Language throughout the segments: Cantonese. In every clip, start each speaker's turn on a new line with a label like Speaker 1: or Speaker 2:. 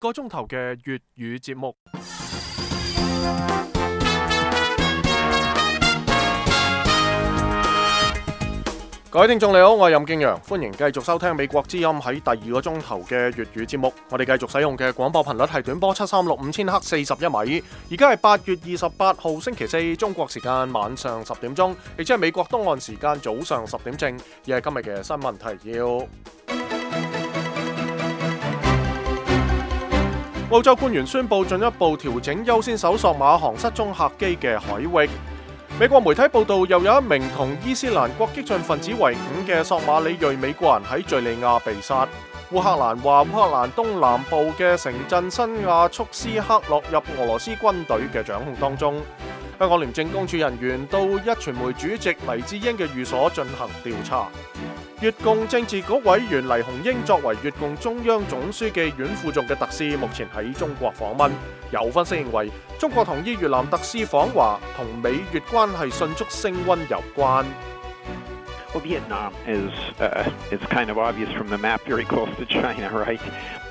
Speaker 1: 個鐘頭嘅粵語節目。各位聽眾你好，我係任敬陽，歡迎繼續收聽美國之音喺第二個鐘頭嘅粵語節目。我哋繼續使用嘅廣播頻率係短波7365000赫41米。而家係8月28號星期四，中國時間晚上10點鐘，亦即係美國東岸時間早上10點正。而係今日嘅新聞提要。澳洲官員宣布進一步調整優先搜索馬航失蹤客機嘅海域。美國媒體報道，又有一名同伊斯蘭國激進分子為伍嘅索馬里裔美國人喺敘利亞被殺。烏克蘭話，烏克蘭東南部嘅城鎮新亞速斯克落入俄羅斯軍隊嘅掌控當中。香港廉政公署人員到壹傳媒主席黎智英嘅寓所進行調查。越共政治局委員黎雄英作為越共中央總書記阮富仲嘅特使，目前喺中國訪問。有分析認為，中國同意越南特使訪華同美越關係迅速升溫有關。
Speaker 2: Well, Vietnam is it's kind of obvious from the map, very close to China, right?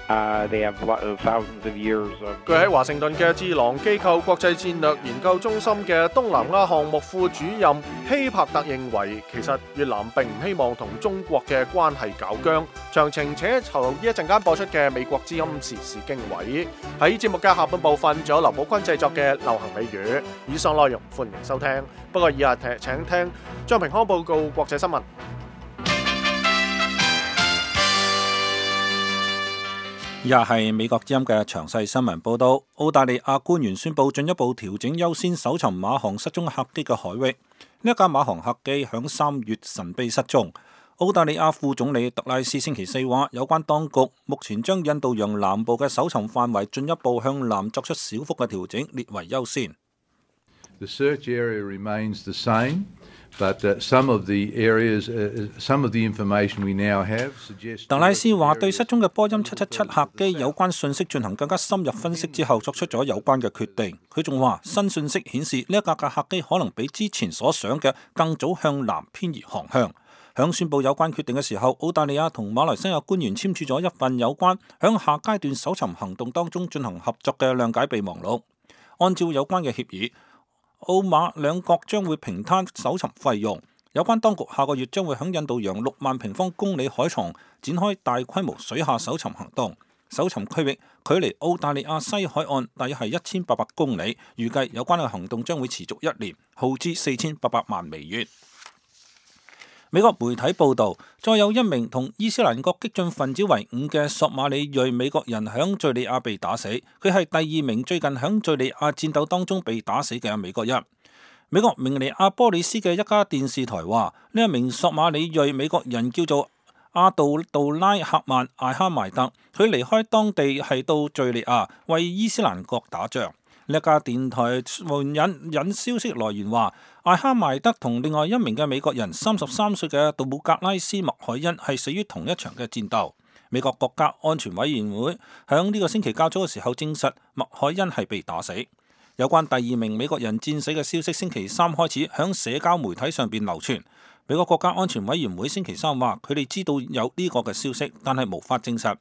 Speaker 2: They have thousands of years of.
Speaker 1: 據喺華盛頓嘅智囊機構國際戰略研究中心嘅東南亞項目副主任希柏特認為，其實越南並唔希望同中國嘅關係搞僵。詳情且留意一陣間播出嘅美國之音時事經緯。喺節目嘅下半部分，仲有劉寶坤製作嘅流行美語。以上內容歡迎收聽。不過以下請聽張平康報告國際新聞。
Speaker 3: 以下係美國之音嘅詳細新聞報道。澳大利亞官員宣布進一步調整優先搜尋馬航失蹤客機嘅海域。呢一架馬航客機響3月神秘失蹤。澳大利亞副總理特拉斯星期四話，有關當局目前將印度洋南部嘅搜尋範圍進一步向南作出小幅嘅調整，列為優先。
Speaker 4: The search area remains the same, but some of the areas, some of the information we now have suggests.
Speaker 3: 特拉斯話對失蹤嘅波音777客機有關信息進行更加深入分析之後，作出咗有關嘅決定。佢仲話新信息顯示呢一架客機可能比之前所想嘅更早向南偏移航向。響宣布有關決定嘅時候，澳大利亞同馬來西亞官員簽署咗一份有關響下階段搜尋行動當中進行合作嘅諒解備忘錄。按照有關嘅協議，澳馬兩國將會平攤搜尋費用。有關當局下個月將會響印度洋6萬平方公里海床展開大規模水下搜尋行動。搜尋區域距離澳大利亞西海岸大約係1800公里，預計有關嘅行動將會持續1年，耗資4800萬美元。美國媒體報道，再有一名同伊斯蘭國激進分子為伍嘅索馬里裔美國人響敘利亞被打死，佢係第2名最近響敘利亞戰鬥當中被打死嘅美國人。美國明尼阿波利斯嘅一家電視台話，呢一名索馬里裔美國人叫做阿杜杜拉克曼艾哈邁特，佢離開當地係到敘利亞為伊斯蘭國打仗。呢一家電台引消息來源話，艾哈邁德同另外一名嘅美國人33歲嘅杜姆格拉斯麥海恩係死於同一場嘅戰鬥。美國國家安全委員會響呢個星期較早嘅時候證實麥海恩係被打死。有關第2名美國人戰死嘅消息，星期3開始響社交媒體上邊流傳。美國國家安全委員會星期3話，佢哋知道有呢個嘅消息，但係無法證實。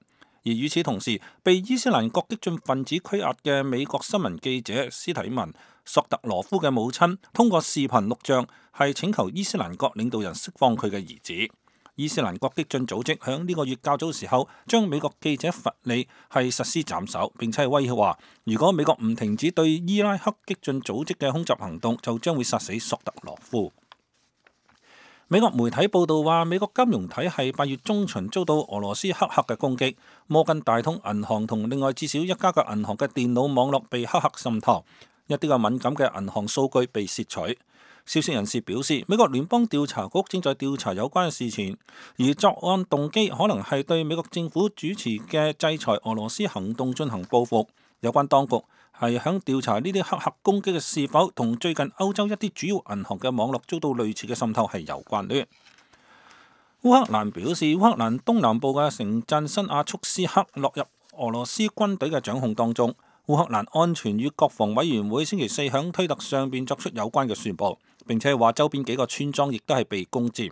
Speaker 3: 而與此同時，被伊斯蘭國激進分子拘押嘅美國新聞記者斯提文索特羅夫嘅母親通過視頻錄像係請求伊斯蘭國領導人釋放佢嘅兒子。伊斯蘭國激進組織響呢個月較早時候將美國記者弗利係實施斬首，並且係威脅話，如果美國唔停止對伊拉克激進組織嘅空襲行動，就將會殺死索特羅夫。美國媒體報道話，美國金融體系8月中旬遭到俄羅斯黑客嘅攻擊，摩根大通銀行同另外至少一家嘅銀行嘅電腦網絡被黑客滲透，一啲嘅敏感嘅銀行數據被竊取。消息人士表示，美國聯邦調查局正在調查有關嘅事情，而作案動機可能係對美國政府主持嘅制裁俄羅斯行動進行報復。有關當局係響調查呢啲黑客攻擊嘅是否同最近歐洲一啲主要銀行嘅網絡遭到類似嘅滲透係有關聯。烏克蘭表示，烏克蘭東南部嘅城鎮新亞速斯克落入俄羅斯軍隊嘅掌控當中。烏克蘭安全與國防委員會星期4響推特上邊作出有關嘅宣佈，並且話周邊幾個村莊亦都係被攻佔。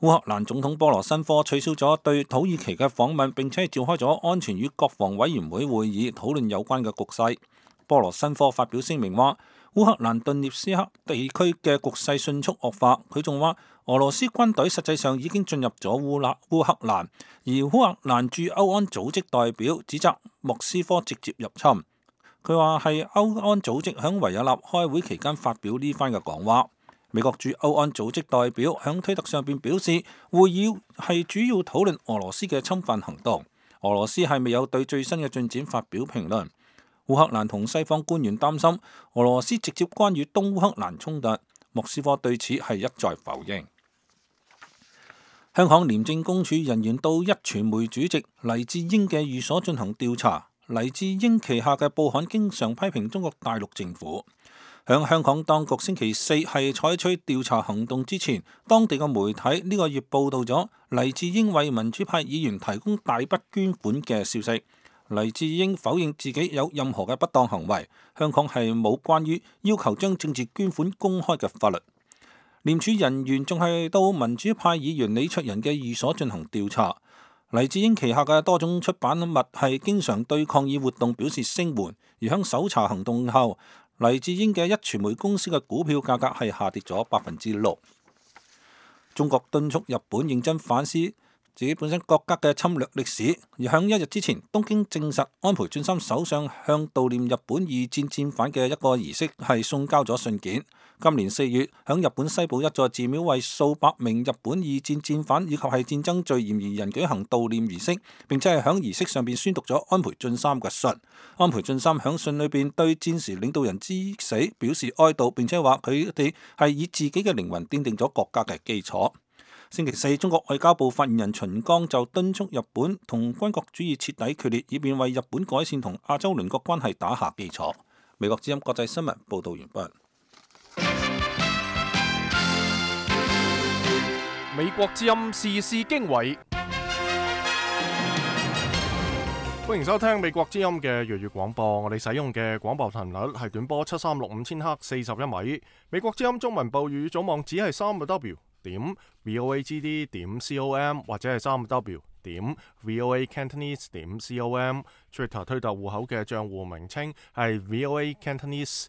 Speaker 3: 烏克蘭總統波羅申科取消咗對土耳其嘅訪問，並且召開咗安全與國防委員會會議，討論有關嘅局勢。波羅申科發表聲明話，烏克蘭頓涅斯克地區嘅局勢迅速惡化。佢仲話，俄羅斯軍隊實際上已經進入咗烏克蘭，而烏克蘭駐歐安組織代表指責莫斯科直接入侵。佢話係歐安組織響維也納開會期間發表呢番嘅講話。美國駐歐安組織代表響推特上邊表示，會議係主要討論俄羅斯嘅侵犯行動。俄羅斯係未有對最新嘅進展發表評論。烏克蘭同西方官員擔心俄羅斯直接干預東烏克蘭衝突，莫斯科對此係一再否認。香港廉政公署人員到壹傳媒主席黎智英嘅寓所進行調查。黎智英旗下嘅報刊經常批評中國大陸政府。響香港當局星期四係採取調查行動之前，當地嘅媒體呢個月報道咗黎智英為民主派議員提供大筆捐款嘅消息。黎智英否認自己有任何嘅不當行為。香港係冇關於要求將政治捐款公開嘅法律。廉署人員仲係到民主派議員李卓人嘅寓所進行調查。黎智英旗下嘅多種出版物係經常對抗議活動表示聲援，而響搜查行動後，黎智英嘅壹傳媒公司嘅股票價格係下跌咗6%。中國敦促日本認真反思自己本身國家嘅侵略歷史，而響一日之前，東京證實安倍晉三首相向悼念日本二戰戰犯嘅一個儀式係送交咗信件。今年4月，響日本西部一座寺廟為數百名日本二戰戰犯以及係戰爭罪嫌疑人舉行悼念儀式，並且係響儀式上邊宣讀咗安倍晉三嘅信。安倍晉三響信裏邊對戰時領導人之死表示哀悼，並且話佢哋係以自己嘅靈魂奠定咗國家嘅基礎。星期四，中國外交部發言人秦剛就敦促日本同軍國主義徹底決裂，以便為日本改善同亞洲鄰國關係打下基礎。美國之音國際新聞報道完畢。
Speaker 1: 美國之音時事經緯，歡迎收聽美國之音嘅粵語廣播。我哋使用嘅廣播頻率係短波7365000赫41米。美國之音中文部粵語總網址係3w.voagd.com 或者係3w.voacantonese.com。Twitter 推特戶口嘅賬戶名稱係 voacantonese。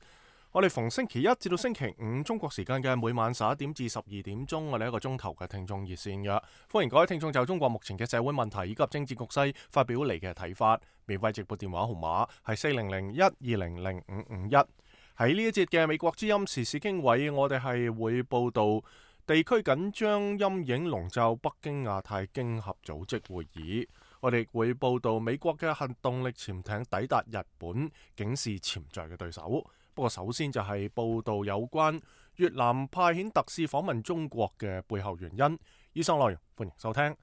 Speaker 1: 我哋逢星期一至到星期五中國時間嘅每晚11點至12點鐘，我哋一個鐘頭嘅聽眾熱線嘅，歡迎各位聽眾就中國目前嘅社會問題以及政治局勢發表你嘅睇法。免費直播電話號碼係40012005551。喺呢一節嘅美國之音時事經緯，我哋係會報道地區緊張陰影籠罩北京亞太經合組織會議。我哋會報道美國嘅核動力潛艇抵達日本，警示潛在嘅對手。不過首先就係報道有關越南派遣特使訪問中國嘅背後原因。以上內容歡迎收聽。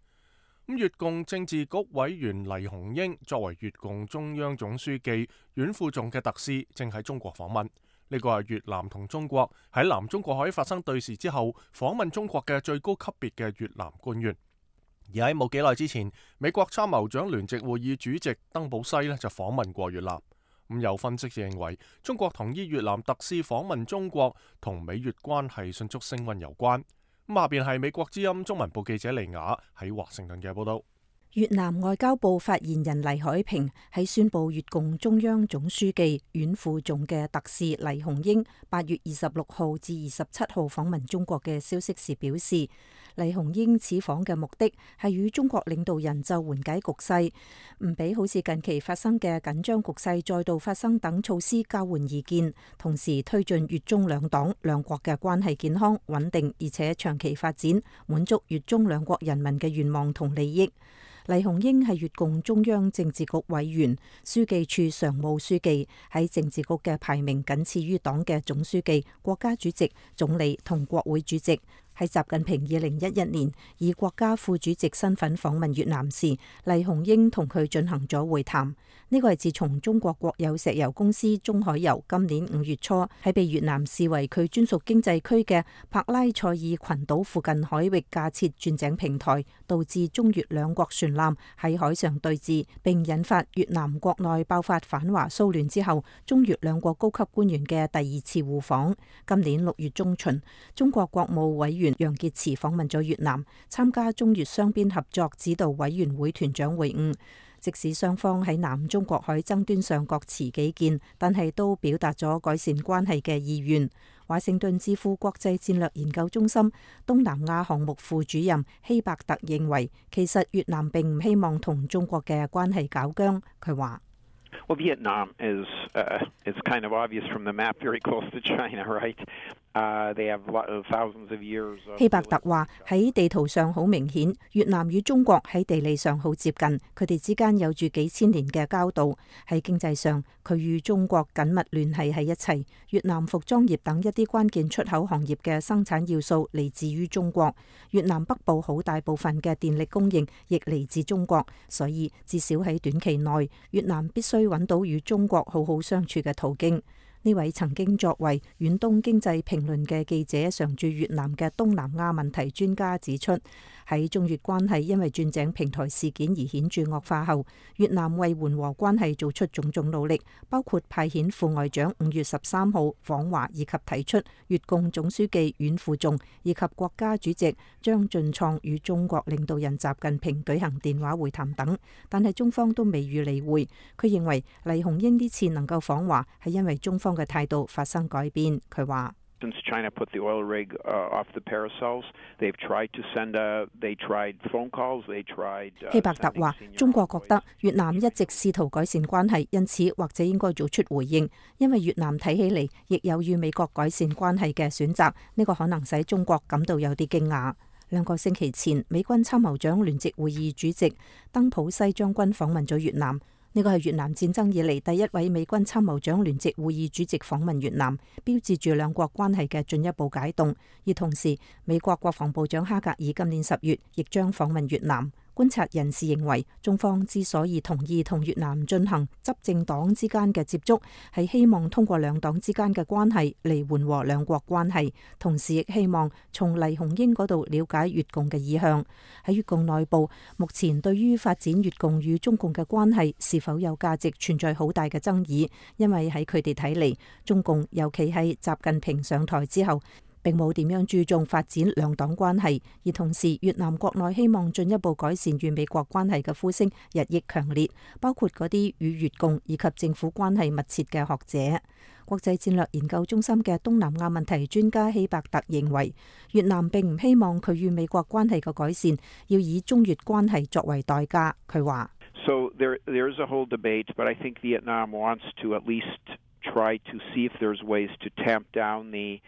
Speaker 1: 越共政治局委員黎雄英作為越共中央總書記阮富仲嘅特使，正喺中國訪問。呢個係越南同中國喺南中國海發生對峙之後訪問中國嘅最高級別嘅越南官員。而喺冇幾耐之前，美國參謀長聯席會議主席登堡西就訪問過越南。有分析認為，中國同意越南特使訪問中國同美越關係迅速升溫有關。下邊係美國之音中文部記者利雅喺華盛頓嘅報道。
Speaker 5: 越南外交部發言人黎海平喺宣布越共中央總書記阮富仲嘅特使黎雄英8月26號至27號訪問中國嘅消息時表示，黎雄英此訪嘅目的係與中國領導人就緩解局勢，唔俾好似近期發生嘅緊張局勢再度發生等措施交換意見，同時推進越中兩黨兩國嘅關係健康穩定而且長期發展，滿足越中兩國人民嘅願望同利益。黎雄英係越共中央政治局委員、書記處常務書記，喺政治局嘅排名僅次於黨嘅總書記、國家主席、總理同國會主席。喺習近平2011年以國家副主席身份訪問越南時，黎雄英同佢進行咗會談。呢個係自從中國國有石油公司中海油今年5月初喺被越南視為佢專屬經濟區嘅帕拉塞爾群島附近海域架設鑽井平台，導致中越兩國船艦喺海上對峙，並引發越南國內爆發反華騷亂之後，中越兩國高級官員嘅第2次互訪。今年6月中旬，中國國務委員楊潔篪訪問咗越南，參加中越雙邊合作指導委員會團長會晤。即使雙方喺南中國海爭端上各持己見，但係都表達咗改善關係嘅意願。華盛頓智庫國際戰略研究中心東南亞項目副主任希伯特認為，其實越南並唔希望同中國嘅關係搞僵。佢話
Speaker 2: ：Well, Vietnam is it's kind of obvious from the map, very close to China, right? They have thousands of years.
Speaker 5: 希伯特話喺地圖上好明顯，越南與中國喺地理上好接近，佢哋之間有住幾千年嘅交道。喺經濟上，佢與中國緊密聯繫喺一齊。越南服裝業等一啲關鍵出口行業嘅生產要素嚟自於中國。越南北部好大部分嘅電力供應亦嚟自中國，所以至少喺短期內，越南必須揾到與中國好好相處嘅途徑。呢位曾經作為遠東經濟評論嘅記者，常駐越南嘅東南亞問題專家指出，喺中越關係因為鑽井平台事件而顯著惡化後，越南為緩和關係做出種種努力，包括派遣副外長5月13號訪華，以及提出越共總書記阮富仲以及國家主席張俊創與中國領導人習近平舉行電話會談等，但係中方都未予理會。佢認為黎鴻英呢次能夠訪華係因為中方嘅態度發生改變。佢話
Speaker 2: ：Since China put the oil rig off the Paracels, they've tried to send they tried phone calls, they tried.
Speaker 5: 希伯特話：中國覺得越南一直試圖改善關係，因此或者應該做出回應，因為越南睇起嚟亦有與美國改善關係嘅選擇，呢個可能使中國感到有啲驚訝。2個星期前，美軍參謀長聯席會議主席登普西將軍訪問咗越南。呢個係越南戰爭以嚟第一位美軍參謀長聯席會議主席訪問越南，標誌住兩國關係嘅進一步解凍。而同時，美國國防部長哈格爾今年10月亦將訪問越南。觀察人士認為，中方之所以同意同越南進行執政黨之間嘅接觸，係希望通過兩黨之間嘅關係嚟緩和兩國關係，同時亦希望從黎鴻英嗰度了解越共嘅意向。喺越共內部，目前對於發展越共與中共嘅關係是否有價值存在好大嘅爭議，因為喺佢哋睇嚟，中共尤其係習近平上台之後，並冇點樣注重發展兩黨關係，而同時越南國內希望進一步改善與美國關係嘅呼聲日益強烈，包括嗰啲與越共以及政府關係密切嘅學者。國際戰略研究中心嘅東南亞問題專家希伯特認為，越南並唔希望佢與美國關係嘅改善要以中越關係作為代價。佢話
Speaker 2: ：So there's a whole debate, but I think Vietnam wants to at least try to see if there's ways to tamp down the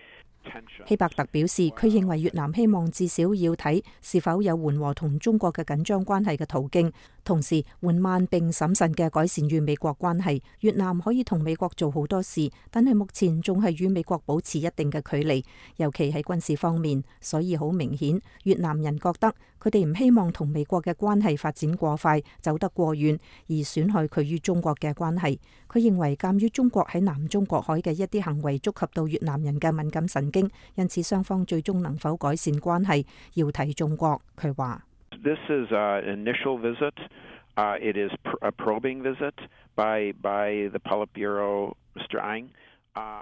Speaker 5: 希伯特表示，佢認為越南希望至少要睇是否有緩和同中國嘅緊張關係嘅途徑，同時緩慢並審慎嘅改善與美國關係。越南可以同美國做好多事，但係目前仲係與美國保持一定嘅距離，尤其喺軍事方面。所以好明顯，越南人覺得佢哋唔希望同美國嘅關係發展過快，走得過遠，而損害佢與中國嘅關係。佢認為，鑑於中國喺南中國海嘅一啲行為觸及到越南人嘅敏感神經，因此雙方最終能否改善關係，要睇中國。佢話
Speaker 2: ：This is an initial visit. It is a probing visit by the Politburo, Mr. Ang.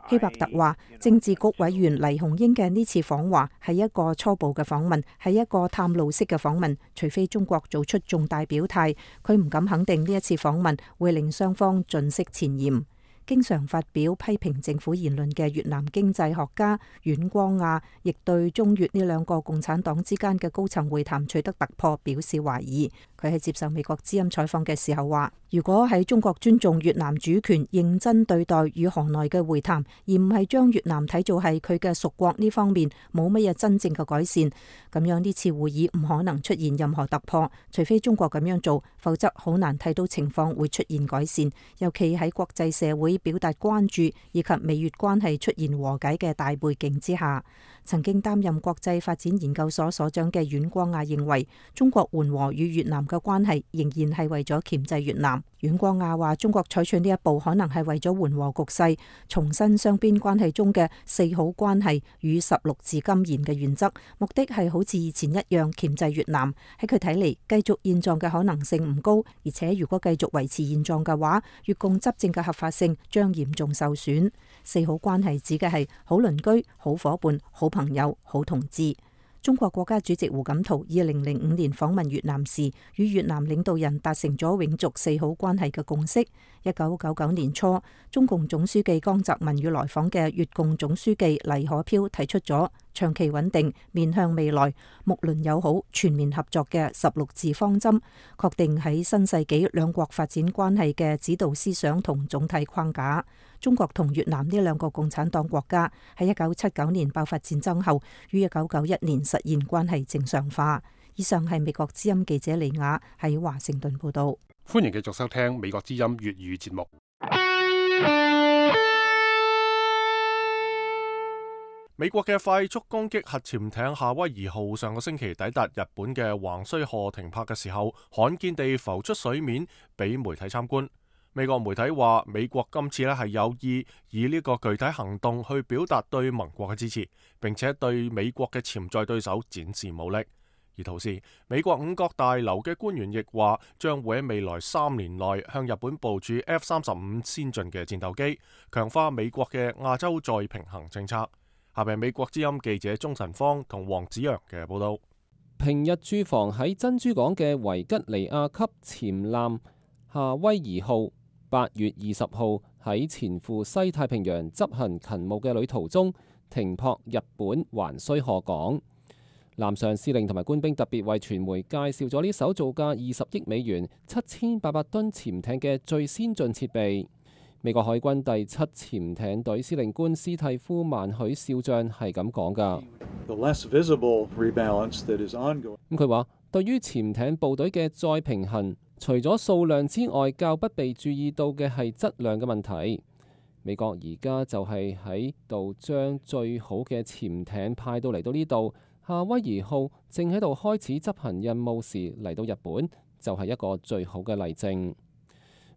Speaker 5: 希伯特話，政治局委員黎鴻英嘅呢次訪華係一個初步嘅訪問，係一個探路式嘅訪問。除非中國做出重大表態，佢唔敢肯定呢一次訪問會令雙方盡釋前嫌。經常發表批評政府言論嘅越南經濟學家阮光亞，亦對中越呢兩個共產黨之間嘅高層會談取得突破表示懷疑。佢喺接受美國之音採訪嘅時候話：如果喺中國尊重越南主權、認真對待與河內嘅會談，而唔係將越南睇做係佢嘅屬國呢方面冇乜嘢真正嘅改善，咁樣呢次會議唔可能出現任何突破。除非中國咁樣做，否則好難睇到情況會出現改善。尤其喺國際社會喺表達關注以及美越關係出現和解嘅大背景之下。曾經擔任國際發展研究所所長嘅阮光亞認為，中國緩和與越南嘅關係仍然係為咗鉗制越南。阮光亞話，中國採取呢一步可能係為咗緩和局勢，重申雙邊關係中嘅4好關係與16字金言嘅原則，目的係好似以前一樣鉗制越南。喺佢睇嚟，繼續現狀嘅可能性唔高，而且如果繼續維持現狀嘅話，越共執政嘅合法性將嚴重受損。4好關係指嘅係好鄰居、好伙伴、好朋友、好同志。中國國家主席胡錦濤2005年訪問越南時，與越南領導人達成咗永續4好關係嘅共識。1999年初，中共總書記江澤民與來訪嘅越共總書記黎可飄提出咗長期穩定、面向未來、睦鄰友好、全面合作嘅16字方針，確定喺新世紀兩國發展關係嘅指導思想同總體框架。中國同越南呢兩個共產黨國家喺1979年爆發戰爭後，於1991年實現關係正常化。以上係美國之音記者李雅喺華盛頓報道。
Speaker 1: 歡迎繼續收聽美國之音粵語節目。美國嘅快速攻擊核潛艇夏威夷號上個星期抵達日本嘅橫須賀停泊嘅時候，罕見地浮出水面，俾媒體參觀。美國媒體話，美國今次係有意以呢個具體行動去表達對盟國嘅支持，並且對美國嘅潛在對手展示武力。而同時，美國五角大樓嘅官員亦話，將會喺未來3年內向日本部署 F-35先進嘅戰鬥機，強化美國嘅亞洲再平衡政策。下邊美國之音記者鍾晨芳同黃子陽嘅報道。
Speaker 6: 平日駐防喺珍珠港嘅維吉尼亞級潛艦夏威夷號8月20號喺前赴西太平洋執行勤務嘅旅途中停泊日本橫須賀港。艦上司令同埋官兵特別為傳媒介紹咗呢艘造價20億美元、7800噸潛艇嘅最先進設備。美國海軍第7潛艇隊司令官斯蒂夫曼許少將係咁講㗎。佢話，對於潛艇部隊嘅再平衡，除咗數量之外，較不被注意到嘅係質量嘅問題。美國而家就係喺度將最好嘅潛艇派到嚟到呢度。夏威夷號正喺度開始執行任務時嚟到日本，就係一個最好嘅例證。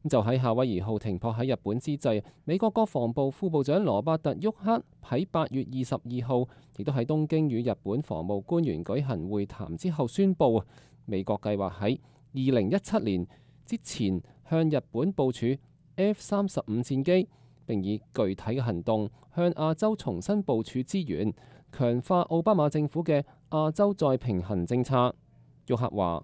Speaker 6: 就喺夏威夷號停泊喺日本之際，美國國防部副部長羅伯特·沃克喺8月22號亦都喺東京與日本防務官員舉行會談之後宣布，美國計劃喺2017年之前向日本部署 F-35戰機，並以具體嘅行動向亞洲重新部署資源，強化奧巴馬政府嘅亞洲再平衡政策。沃克話：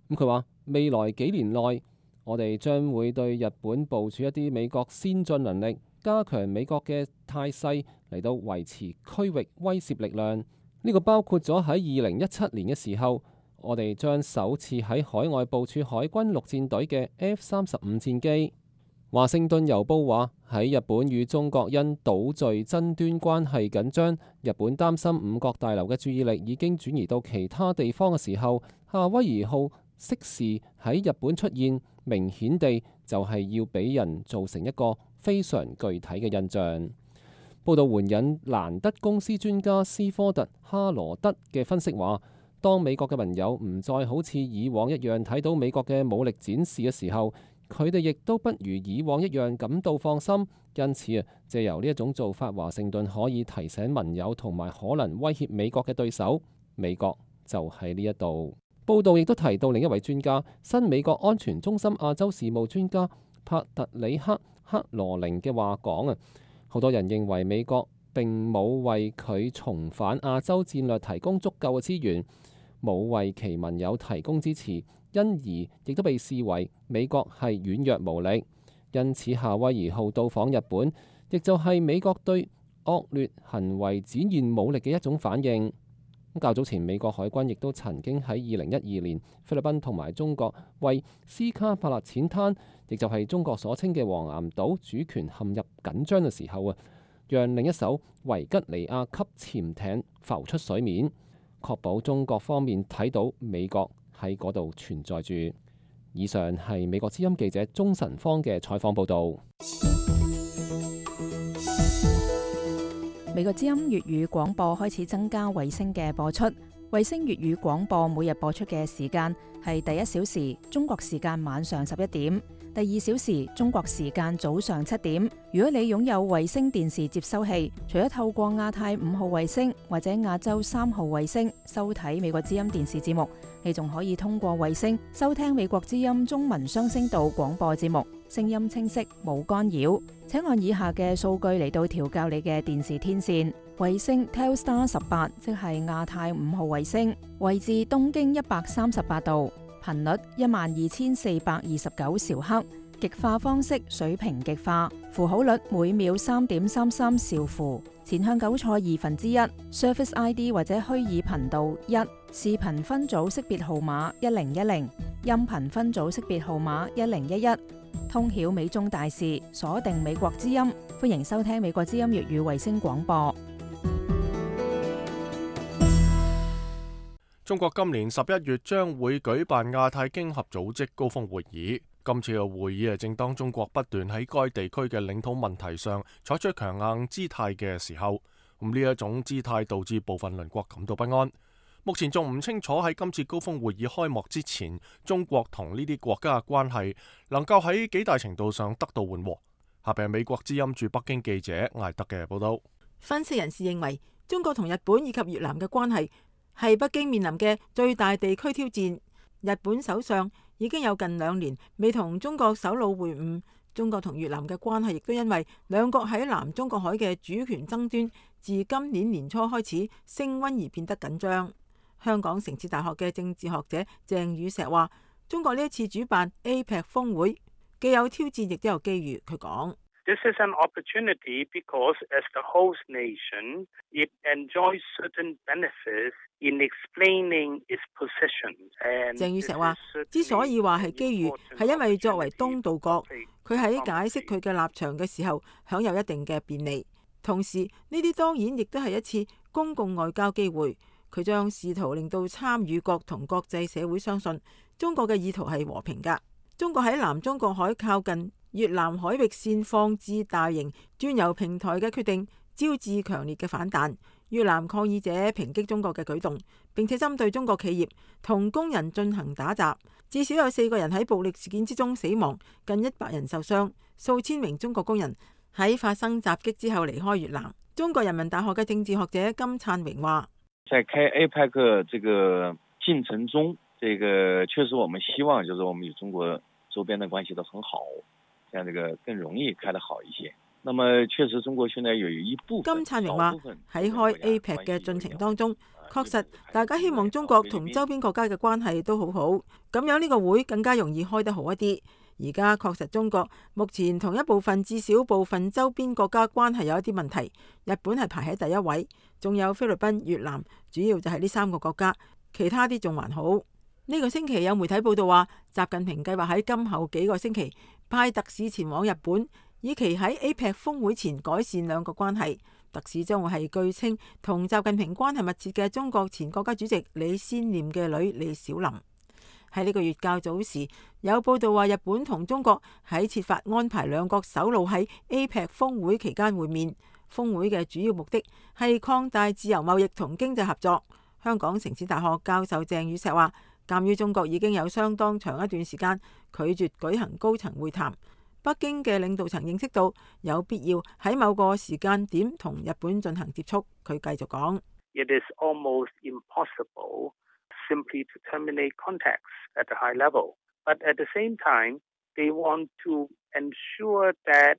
Speaker 6: 佢話未來幾年內，我哋將會對日本部署一啲美國先進能力，加強美國嘅態勢嚟到維持區域威懾力量。呢個包括咗喺2017年嘅時候，我哋將首次喺海外部署海軍陸戰隊嘅 F-35戰機。華盛頓郵報話，喺日本與中國因島嶼爭端關係緊張，日本擔心五角大樓嘅注意力已經轉移到其他地方嘅時候，夏威夷號適時喺日本出現，明顯地就係要俾人造成一個非常具體嘅印象。報道援引蘭德公司專家斯科特·哈羅德嘅分析話，當美國嘅盟友唔再好似以往一樣睇到美國嘅武力展示嘅時候，佢哋亦都不如以往一樣感到放心。因此借由呢一種做法，華盛頓可以提醒盟友同埋可能威脅美國嘅對手，美國就喺呢一度。報道亦都提到另一位專家，新美國安全中心亞洲事務專家帕特里克·克羅寧嘅話講，好多人認為美國並冇為佢重返亞洲戰略提供足夠嘅資源，冇為其盟友提供支持，因而亦都被視為美國係軟弱無力。因此夏威夷號到訪日本，亦就係美國對惡劣行為展現武力嘅一種反應。較早前美國海軍亦都曾經喺2012年菲律賓同埋中國為斯卡帕勒淺灘，亦就係中國所稱嘅黃岩島主權陷入緊張嘅時候讓另一艘維吉尼亞級潛艇浮出水面，確保中國方面睇到美國喺嗰度存在住。以上係美國之音記者鍾晨芳嘅採訪報導。
Speaker 7: 美國之音粵語廣播開始增加衛星嘅播出。衛星粵語廣播每日播出嘅時間係第1小時中國時間晚上11點，第2小時中國時間早上7點。如果你擁有衛星電視接收器，除咗透過亞太5號衛星或者亞洲3號衛星收睇美國之音電視節目，你仲可以通過衛星收聽美國之音中文雙聲道廣播節目，聲音清晰冇干擾。請按以下嘅數據嚟到調校你嘅電視天線。衛星 Telstar 18，即係亞太5號衛星，位置東經138度，頻率12429兆赫，極化方式水平極化，符號率每秒3.33兆符，前向9錯1/2 ，Surface ID 或者虛擬頻道1，視頻分組識別號碼1010，音頻分組識別號碼1011。通曉美中大事，鎖定美國之音，歡迎收聽美國之音粵語衛星廣播。
Speaker 1: 中國今年11月將會舉辦亞太經合組織高峰會議。今次嘅會議正當中國不斷喺該地區嘅領土問題上採取強硬姿態嘅時候，呢一種姿態導致部分鄰國感到不安。目前仲唔清楚喺今次高峰會議開幕之前，中國同呢啲國家嘅關係能夠喺幾大程度上得到緩和。下邊係美國之音駐北京記者艾德嘅報道。
Speaker 8: 分析人士認為，中國同日本以及越南嘅關係係北京面臨嘅最大地區挑戰。日本首相已經有近2年未同中國首腦會晤，中國同越南嘅關係亦都因為兩國喺南中國海嘅主權爭端，自今年年初開始升溫而變得緊張。香港城市大學嘅政治學者鄭宇碩話，中國呢一次主辦 APEC 峰會既有挑戰亦都有機遇。佢講
Speaker 9: ：This is an opportunity because as the host nation, it enjoys certain benefits in explaining its position.
Speaker 8: 鄭宇碩話，之所以話係機遇，係因為作為東道國，佢喺解釋佢嘅立場嘅時候享有一定嘅便利。同時，呢啲當然亦都係一次公共外交機會。佢將試圖令到參與國同國際社會相信中國嘅意圖係和平㗎。中國喺南中國海靠近越南海域線放置大型專油平台嘅決定，招致強烈嘅反彈。越南抗議者抨擊中國嘅舉動，並且針對中國企業同工人進行打襲，至少有4個人喺暴力事件之中死亡，近100人受傷，數千名中國工人喺發生襲擊之後離開越南。中國人民大學嘅政治學者金燦榮話：
Speaker 10: 在開 APEC 這個進程中，這個確實我們希望就是我們與中國周邊的關係都很好，這樣這個更容易開得好一些。那麼確實中國現在有一部分。金燦榮話喺開 APEC 嘅進程當中，確實大家希望中國同周邊國家嘅關係都好好，咁樣呢個會更加容易開得好一啲。而家確實中國目前同一部分至少部分周邊國家關係有一啲問題，日本係排喺第1位，仲有菲律賓、越南，主要就係呢3個國家，其他啲仲還好。呢個星期有媒體報道話，習近平計劃喺今後幾個星期派特使前往日本，以期喺 APEC 峰會前改善兩國關係。特使將會係據稱同習近平關係密切嘅中國前國家主席李先念嘅女李小琳。喺呢個月較早時，有報道話日本同中國喺設法安排兩國首腦喺 APEC 峰會期間會面。峰會嘅主要目的係擴大自由貿易同經濟合作。香港城市大學教授鄭宇碩話，鑑於中國已經有相當長一段時間拒絕舉行高層會談，北京嘅領導層認識到有必要喺某個時間點同日本進行接觸。佢繼續講
Speaker 9: ：It is almost impossible simply to terminate contacts at a high level, but at the same time, they want to ensure that。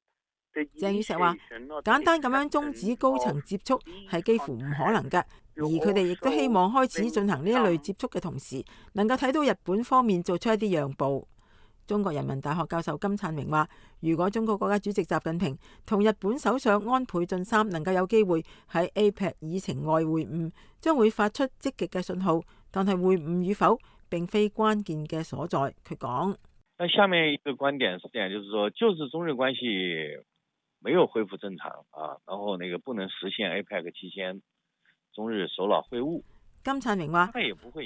Speaker 8: 鄭宇碩話：簡單咁樣終止高層接觸係幾乎唔可能嘅，而佢哋亦都希望開始進行呢一類接觸嘅同時，能夠睇到日本方面做出一啲讓步。中國人民大學教授金燦榮話：如果中國國家主席習近平同日本首相安倍晉三能夠有機會喺 APEC 議程外會晤，將會發出積極嘅信號。但係會晤與否並非關鍵嘅所在。佢講：
Speaker 10: 那下面一個觀點是這樣，就是說，就是中日關係沒有恢復正常啊，然後那個不能實現 APEC 期間中日首腦會晤。
Speaker 8: 金燦榮話，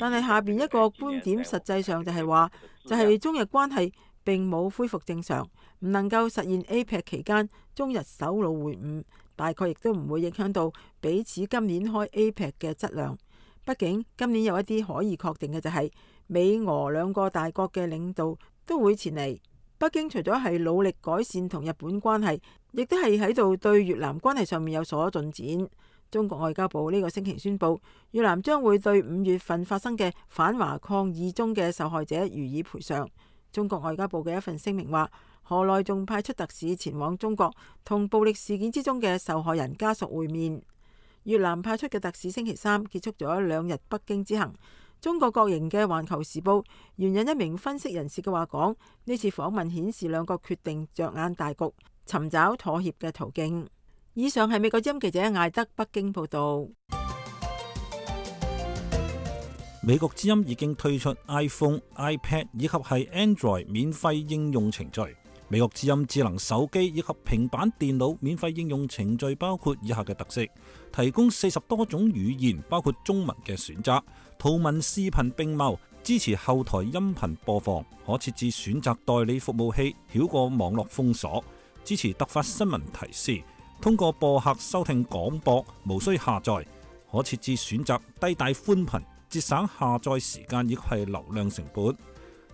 Speaker 8: 但係下邊一個觀點實際上就係話，就係中日關係並冇恢復正常，唔能夠實現 APEC 期間中日首腦會晤，大概亦都唔會影響到彼此今年開 APEC 嘅質量。畢竟今年有一啲可以確定嘅就係美俄兩個大國嘅領導都會前嚟。北京除咗係努力改善同日本關係，亦都係喺度對越南關係上面有所進展。中國外交部呢個星期宣布，越南將會對5月份發生嘅反華抗議中嘅受害者予以賠償。中國外交部嘅一份聲明話，河內仲派出特使前往中國，同暴力事件之中嘅受害人家屬會面。越南派出嘅特使星期三結束咗2日北京之行。中國國營嘅《環球時報》援引一名分析人士嘅話講，呢次訪問顯示兩國決定着眼大局，尋找妥協嘅途徑。以上係美國之音記者艾德北京報道。
Speaker 3: 美國之音已經推出 iPhone、iPad 以及係 Android 免費應用程序。美國之音智能手機以及平板電腦免費應用程序包括以下嘅特色：提供40多種語言，包括中文嘅選擇，圖文視頻並茂，支持後台音頻播放，可設置選擇代理服務器，繞過網絡封鎖，支持突發新聞提示，通過播客收聽廣播，無需下載，可設置選擇低帶寬頻，節省下載時間以及係流量成本。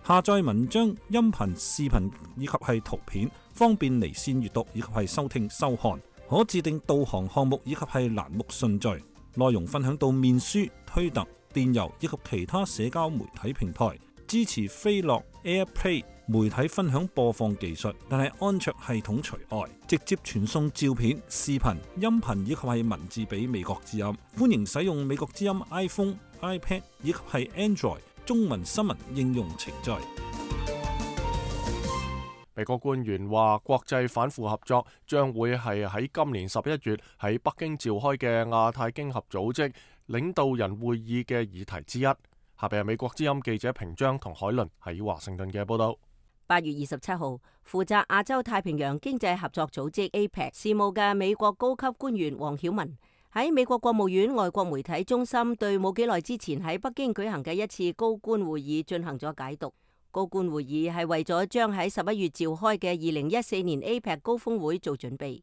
Speaker 3: 下載文章、音頻、視頻以及係圖片，方便離線閱讀以及係收聽收看。可自定導航項目以及係欄目順序。內容分享到面書、推特、電郵以及其他社交媒體平台。支持飛樂、AirPlay 媒體分享播放技術，但係安卓系統除外。直接傳送照片、視頻、音頻以及係文字俾美國之音。歡迎使用美國之音 iPhone、iPad 以及係 Android中文新聞應用程序。
Speaker 1: 美國官員話，國際反腐合作將會係喺今年11月喺北京召開嘅亞太經合組織領導人會議嘅議題之一。下邊係美國之音記者平章同海倫喺華盛頓嘅報道。
Speaker 11: 8月27號，負責亞洲太平洋經濟合作組織 APEC 事務嘅美國高級官員黃曉文喺美國國務院外國媒體中心對冇幾耐之前喺北京舉行嘅一次高官會議進行咗解讀。高官會議係為咗將喺11月召開嘅2014年 APEC 高峰會做準備。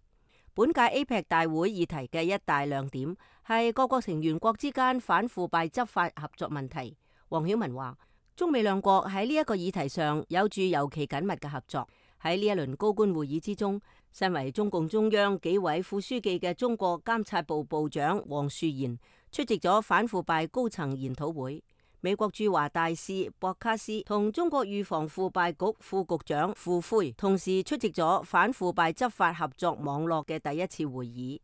Speaker 11: 本屆 APEC 大會議題嘅一大亮點係各國成員國之間反腐敗執法合作問題。黃曉文話，中美兩國喺呢一個議題上有住尤其緊密嘅合作。喺呢一輪高官會議之中，身為中共中央紀委副書記嘅中國監察部部長黃樹賢出席咗反腐敗高層研討會。美國駐華大使博卡斯同中國預防腐敗局副局長傅輝同時出席咗反腐敗執法合作網絡嘅第一次會議。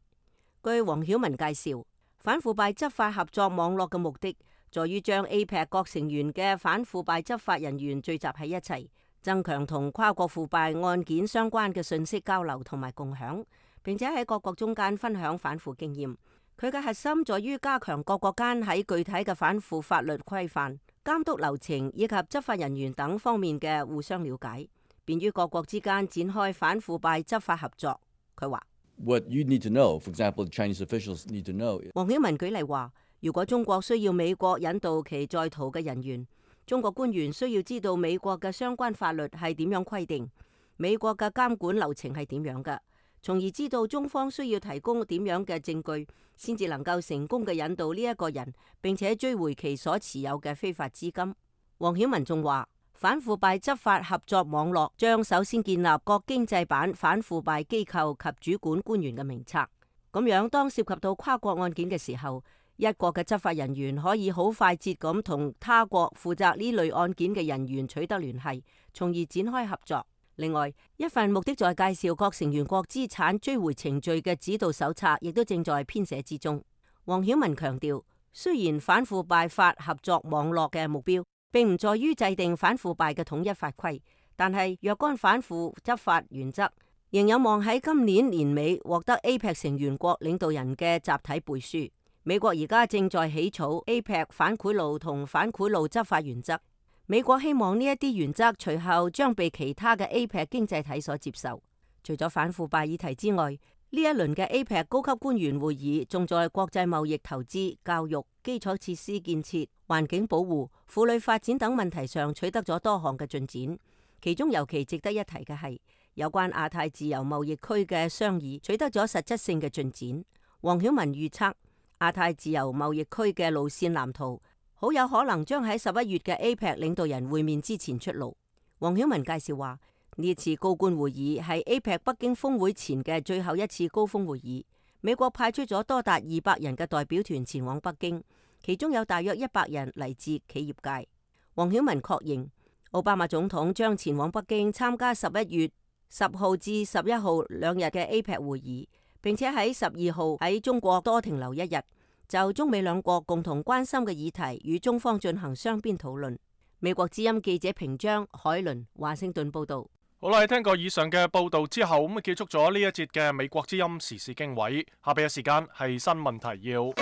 Speaker 11: 據黃曉文介紹，反腐敗執法合作網絡嘅目的在於將 APEC 各成員嘅反腐敗執法人員聚集喺一齊，增強同跨國腐敗案件相關嘅信息交流同埋共享，並且喺各國中間分享反腐經驗。佢嘅核心在於加強各國間喺具體嘅反腐法律規範、監督流程以及執法人員等方面嘅互相了解，便於各國之間展開反腐敗執法合作。佢話
Speaker 12: ：What you need to know, for example, Chinese officials need to know。
Speaker 11: 黃曉文舉例話，如果中國需要美國引渡其在逃嘅人員，中國官員需要知道美國嘅相關法律係點樣規定，美國嘅監管流程係點樣嘅，從而知道中方需要提供點樣嘅證據，先至能夠成功嘅引渡呢一個人，並且追回其所持有嘅非法資金。黃曉文仲話，反腐敗執法合作網絡將首先建立各經濟版反腐敗機構及主管官員嘅名冊，咁樣當涉及到跨國案件嘅時候，一國嘅執法人員可以好快捷咁同他國負責呢類案件嘅人員取得聯繫，從而展開合作。另外，一份目的在介紹各成員國資產追回程序嘅指導手冊亦都正在編寫之中。黃曉文強調，雖然反腐敗法合作網絡嘅目標並唔在於制定反腐敗嘅統一法規，但係若干反腐執法原則仍有望喺今年年尾獲得 APEC 成員國領導人嘅集體背書。美國而家正在起草 APEC 反賄賂同反賄賂執法原則。美國希望呢一啲原則隨後將被其他嘅 APEC 經濟體所接受。除咗反腐敗議題之外，呢呢一輪嘅 APEC 高級官員會議，仲在國際貿易、投資、教育、基礎設施建設、環境保護、婦女發展等問題上取得咗多項嘅進展。其中尤其值得一提嘅係有關亞太自由貿易區嘅商議取得咗實質性嘅進展。黃曉文預測亞太自由貿易區嘅路線藍圖好有可能將喺11月嘅 APEC 領導人會面之前出爐。黃曉文介紹話，呢次高官會議係 APEC 北京峰會前嘅最後一次高峰會議。美國派出咗多達200人嘅代表團前往北京，其中有大約100人嚟自企業界。黃曉文確認，奧巴馬總統將前往北京參加11月10號至11號2日嘅 APEC 會議，並且喺12號喺中國多停留1日，就中美兩國共同關心嘅議題與中方進行雙邊討論。美國之音記者平章、海倫華盛頓報道。
Speaker 1: 好啦，聽過以上嘅報道之後，咁結束咗呢一節嘅美國之音時事經緯。下邊嘅時間係新聞提要。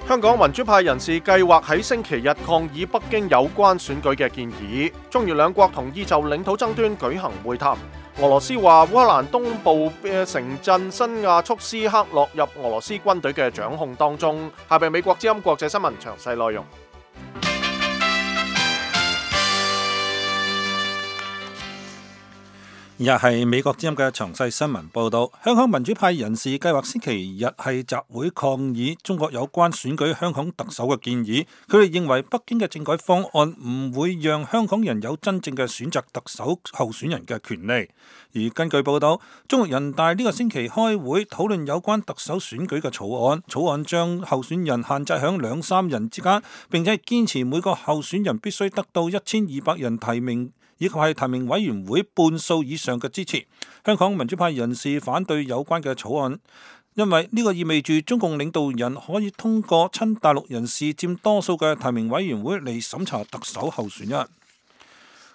Speaker 1: 香港民主派人士計劃喺星期日抗議北京有關選舉嘅建議。中越兩國同意就領土爭端舉行會談。俄羅斯話烏克蘭東部嘅城鎮新亞速斯克落入俄羅斯軍隊嘅掌控當中。下邊美國之音國際新聞詳細內容。
Speaker 3: 而日係美國之音嘅詳細新聞報導，香港民主派人士計劃星期日係集會抗議中國有關選舉香港特首嘅建議。佢哋認為北京嘅政改方案唔會讓香港人有真正嘅選擇特首候選人嘅權利。而根據報導，中國人大呢個星期開會討論有關特首選舉嘅草案，草案將候選人限制喺2-3人之間，並且堅持每個候選人必須得到1200人提名，以及係提名委員會半數以上嘅支持。香港民主派人士反對有關嘅草案，因為呢個意味住中共領導人可以通過親大陸人士佔多數嘅提名委員會嚟審查特首候選人。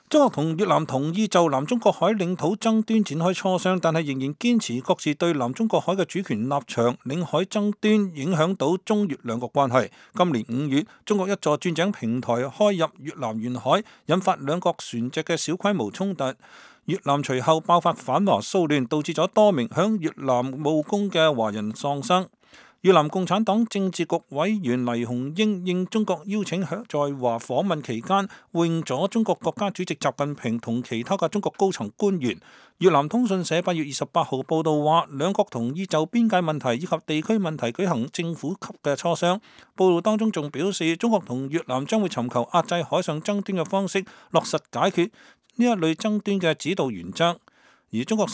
Speaker 3: 中國同越南同意就南中國海領土爭端展開磋商，但係仍然堅持各自對南中國海嘅主權立場。領海爭端影響到中越兩國關係。今年5月，中國一座鑽井平台開入越南沿海，引發兩國船隻嘅小規模衝突。越南隨後爆發反華騷亂，導致咗多名響越南務工嘅華人喪生。越南共產黨政治局委員黎鴻英應中國邀請，在華訪問期間會晤咗中國國家主席習近平同其他嘅中國高層官員。越南通訊社8月28號報道話，兩國同意就邊界問題以及地區問題舉行政府級嘅磋商。報道當中仲表示，中國同越南將會尋求壓制海上爭端嘅方式，落實解決呢一類爭端嘅指導原則。而中國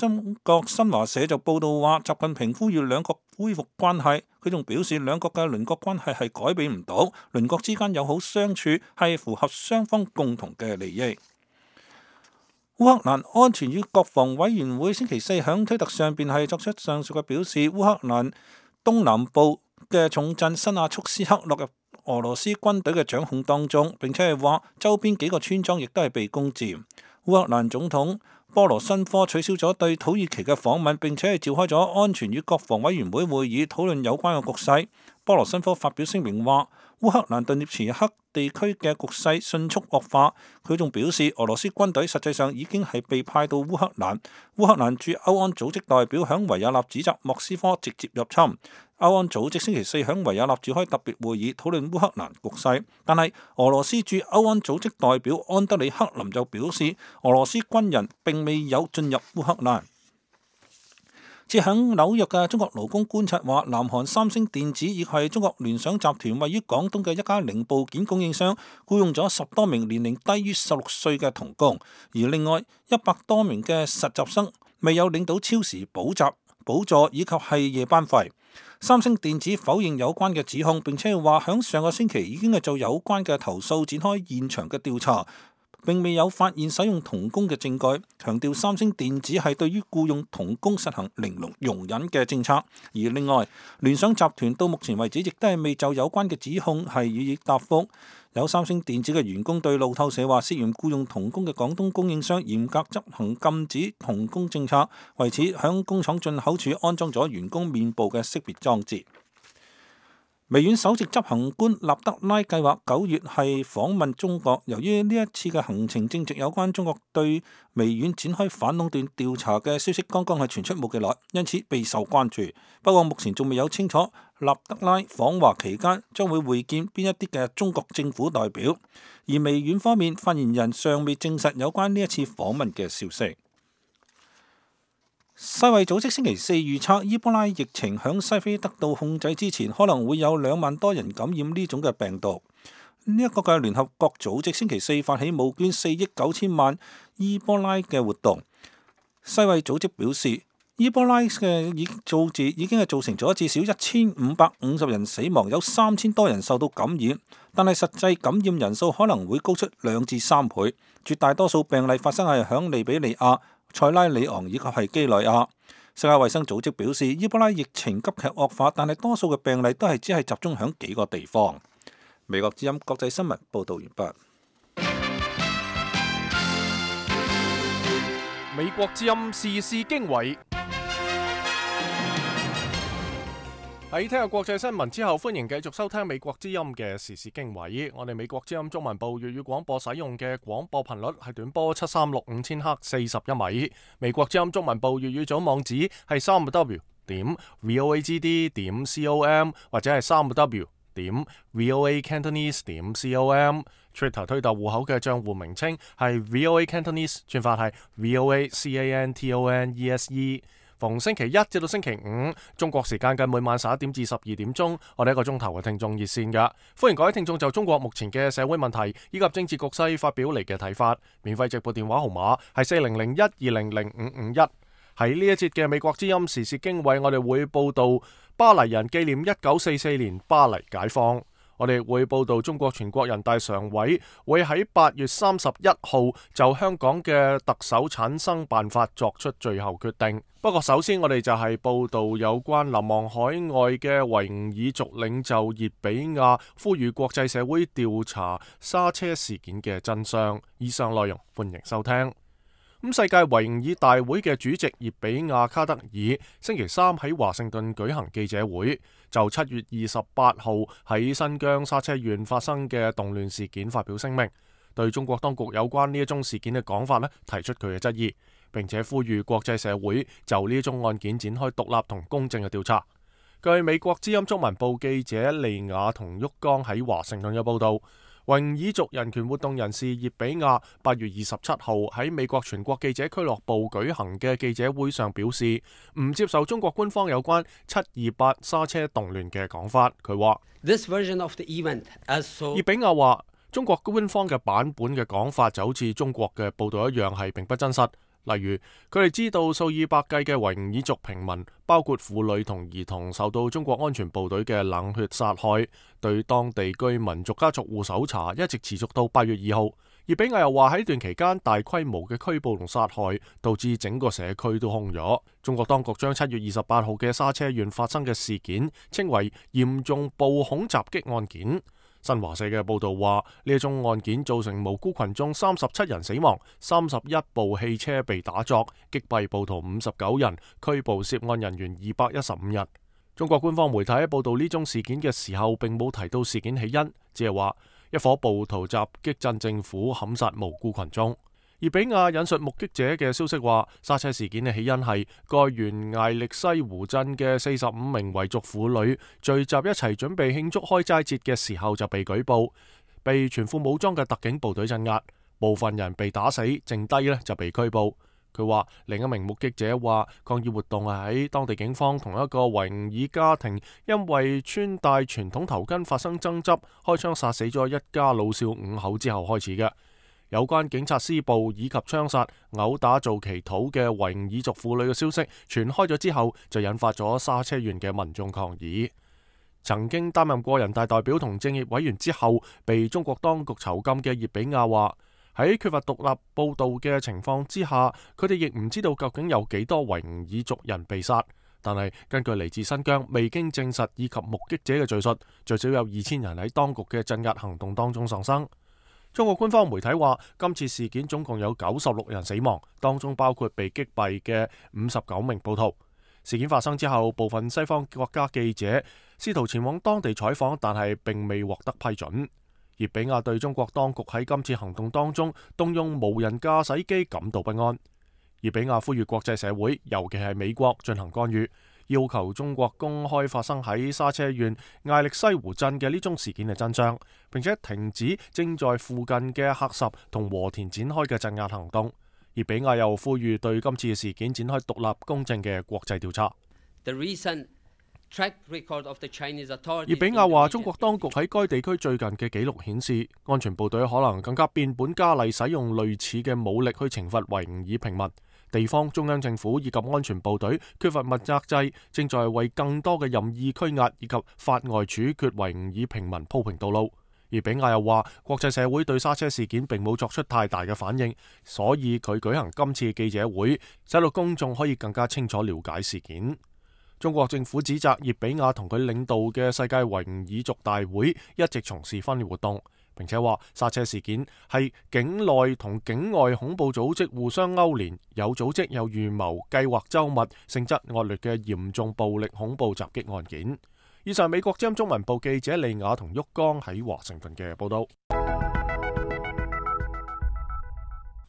Speaker 3: 新華社就報道話，習近平呼籲兩國恢復關係。佢仲表示，兩國嘅鄰國關係係改變唔到，鄰國之間友好相處係符合雙方共同嘅利益。烏克蘭安全與國防委員會星期四響推特上邊係作出上述嘅表示，烏克蘭東南部嘅重鎮新亞速斯克落入俄羅斯軍隊嘅掌控當中，並且係話周邊幾個村莊亦都係被攻佔。烏克蘭總統波羅申科取消咗對土耳其嘅訪問，並且係召開咗安全與國防委員會會議，討論有關嘅局勢。波羅申科發表聲明話，烏克蘭頓涅茨克地區嘅局勢迅速惡化。佢仲表示，俄羅斯軍隊實際上已經係被派到烏克蘭。烏克蘭駐歐安組織代表響維也納指責莫斯科直接入侵。歐安組織星期四響維也納召開特別會議，討論烏克蘭局勢。但係俄羅斯駐歐安組織代表安德里克林就表示，俄羅斯軍人並未有進入烏克蘭。設響紐約嘅中國勞工觀察話，南韓三星電子以及中國聯想集團位於廣東嘅一家零部件供應商僱用咗10多名年齡低於16歲嘅童工，而另外100多名嘅實習生未有領到超時補助以及係夜班費。三星電子否認有關嘅指控，並且話響上個星期已經係就有關嘅投訴展開現場嘅調查，並未有發現使用童工嘅證據，強調三星電子係對於僱用童工實行零容忍嘅政策。而另外，聯想集團到目前為止亦都係未就有關嘅指控係予以答覆。有三星電子嘅員工對路透社話，涉嫌僱用童工嘅廣東供應商嚴格執行禁止童工政策，為此響工廠進口處安裝咗員工面部嘅識別裝置。微軟首席執行官納德拉計劃9月係訪問中國，由於呢一次嘅行程正值有關中國對微軟展開反壟斷調查嘅消息剛剛係傳出冇幾耐，因此備受關注。不過目前仲未有清楚納德拉訪華期間將會會見邊一啲嘅中國政府代表，而微軟方面發言人尚未證實有關呢一次訪問嘅消息。世衛組織星期四預測，伊波拉疫情響西非得到控制之前，可能會有2萬多人感染呢種嘅病毒。呢一個嘅聯合國組織星期四發起募捐4億9千萬伊波拉嘅活動。世衛組織表示，伊波拉嘅數字已經係造成咗至少1550人死亡，有3000多人受到感染，但係實際感染人數可能會高出2至3倍。絕大多數病例發生係響利比里亞、塞拉利昂以及係基內亞。世界衛生組織表示，伊波拉疫情急劇惡化，但係多數嘅病例都係只係集中響幾個地方。美國之音國際新聞報道完畢。
Speaker 1: 美國之音時事經緯。喺聽日國際新聞之後，歡迎繼續收聽美國之音嘅時事經緯。我哋美國之音中文部粵語廣播使用嘅廣播頻率係短波7365000赫41米。美國之音中文部粵語組網址係3w.voagd.com 或者係3w.voacantonese.com。Twitter 推特戶口嘅賬戶名稱係 VOA Cantonese， 轉發係 VOACANTONESE。逢星期一至到星期五，中國時間嘅每晚11點至12點鐘，我哋1個鐘頭嘅聽眾熱線㗎。歡迎各位聽眾就中國目前嘅社會問題以及政治局勢發表你嘅睇法。免費直播電話號碼係4001200551。喺呢一節嘅美國之音時事經緯，我哋會報道巴黎人紀念1944年巴黎解放。我哋會報道中國全國人大常委會喺8月31號就香港嘅特首產生辦法作出最後決定。不過首先我哋就係報道有關流亡海外嘅維吾爾族領袖熱比亞呼籲國際社會調查莎車事件嘅真相。以上內容歡迎收聽。世界維吾爾大會嘅主席熱比亞卡德爾星期三喺華盛頓舉行記者會，就7月28號喺新疆莎車縣發生嘅動亂事件發表聲明，對中國當局有關呢一宗事件嘅講法提出佢嘅質疑，並且呼籲國際社會就呢一宗案件展開獨立同公正嘅調查。據美國之音中文部記者利亞同沃岡喺華盛頓嘅報道，維吾爾族人權活動人士熱比亞8月27號喺美國全國記者俱樂部舉行嘅記者會上表示，唔接受中國官方有關728莎車動亂嘅講法。佢話熱比亞話，中國官方嘅版本嘅講法就好似中國嘅報道一樣，係並不真實。例如，佢哋知道數以百計嘅維吾爾族平民，包括婦女同兒童，受到中國安全部隊嘅冷血殺害，對當地居民逐家逐戶搜查，一直持續到8月2號。熱比亞又話喺呢段期間大規模嘅拘捕同殺害，導致整個社區都空咗。中國當局將7月28號嘅莎車縣發生嘅事件稱為嚴重暴恐襲擊案件。新華社嘅報道話，呢一宗案件造成無辜群眾37人死亡，31部汽車被打鑿，擊斃暴徒59人，拘捕涉案人員215人。中國官方媒體喺報道呢宗事件嘅時候，並冇提到事件起因，只係話一伙暴徒襲擊鎮政府，砍殺無辜群眾。熱比亞引述目擊者嘅消息話，莎車事件嘅起因係該縣艾力西湖鎮嘅45名維族婦女聚集一齊準備慶祝開齋節嘅時候就被舉報，被全副武裝嘅特警部隊鎮壓，部分人被打死，剩低就被拘捕。佢話另一名目擊者話，抗議活動係喺當地警方同一個維吾爾家庭因為穿戴傳統頭巾發生爭執，開槍殺死咗一家老少5口之後開始嘅。有關警察施暴以及槍殺、毆打做祈禱嘅維吾爾族婦女嘅消息傳開咗之後，就引發咗莎車縣嘅民眾抗議。曾經擔任過人大代表同政協委員之後，被中國當局囚禁嘅熱比亞話，喺缺乏獨立報道嘅情況之下，佢哋亦唔知道究竟有幾多維吾爾族人被殺。但係根據嚟自新疆未經證實以及目擊者嘅敘述，最少有2000人喺當局嘅鎮壓行動當中喪生。中國官方媒體話，今次事件總共有96人死亡，當中包括被擊斃嘅59名暴徒。事件發生之後，部分西方國家記者試圖前往當地採訪，但係並未獲得批准。葉比亞對中國當局喺今次行動當中動用無人駕駛機感到不安。葉比亞呼籲國際社會，尤其係美國進行干預，要求中國公開發生喺沙車縣艾力西湖鎮嘅呢宗事件嘅真相，並且停止正在附近嘅喀什同和田展開嘅鎮壓行動。葉比亞又呼籲對今次嘅事件展開獨立公正嘅國際調查。葉比亞話：中國當局喺該地區最近嘅記錄顯示，安全部隊可能更加變本加厲使用類似嘅武力去懲罰維吾爾平民。地方中央政府以及安全部隊缺乏問責制，正在為更多嘅任意拘押以及法外處決維吾爾平民鋪平道路。葉比亞又話：國際社會對沙車事件並冇作出太大嘅反應，所以佢舉行今次記者會，使到公眾可以更加清楚了解事件。中國政府指責葉比亞同佢領導嘅世界維吾爾族大會一直從事分裂活動，並且話剎車事件係境內同境外恐怖組織互相勾連，有組織有預謀、計劃周密、性質惡劣嘅嚴重暴力恐怖襲擊案件。以上美國之音中文部記者利雅同旭剛喺華盛頓嘅報道。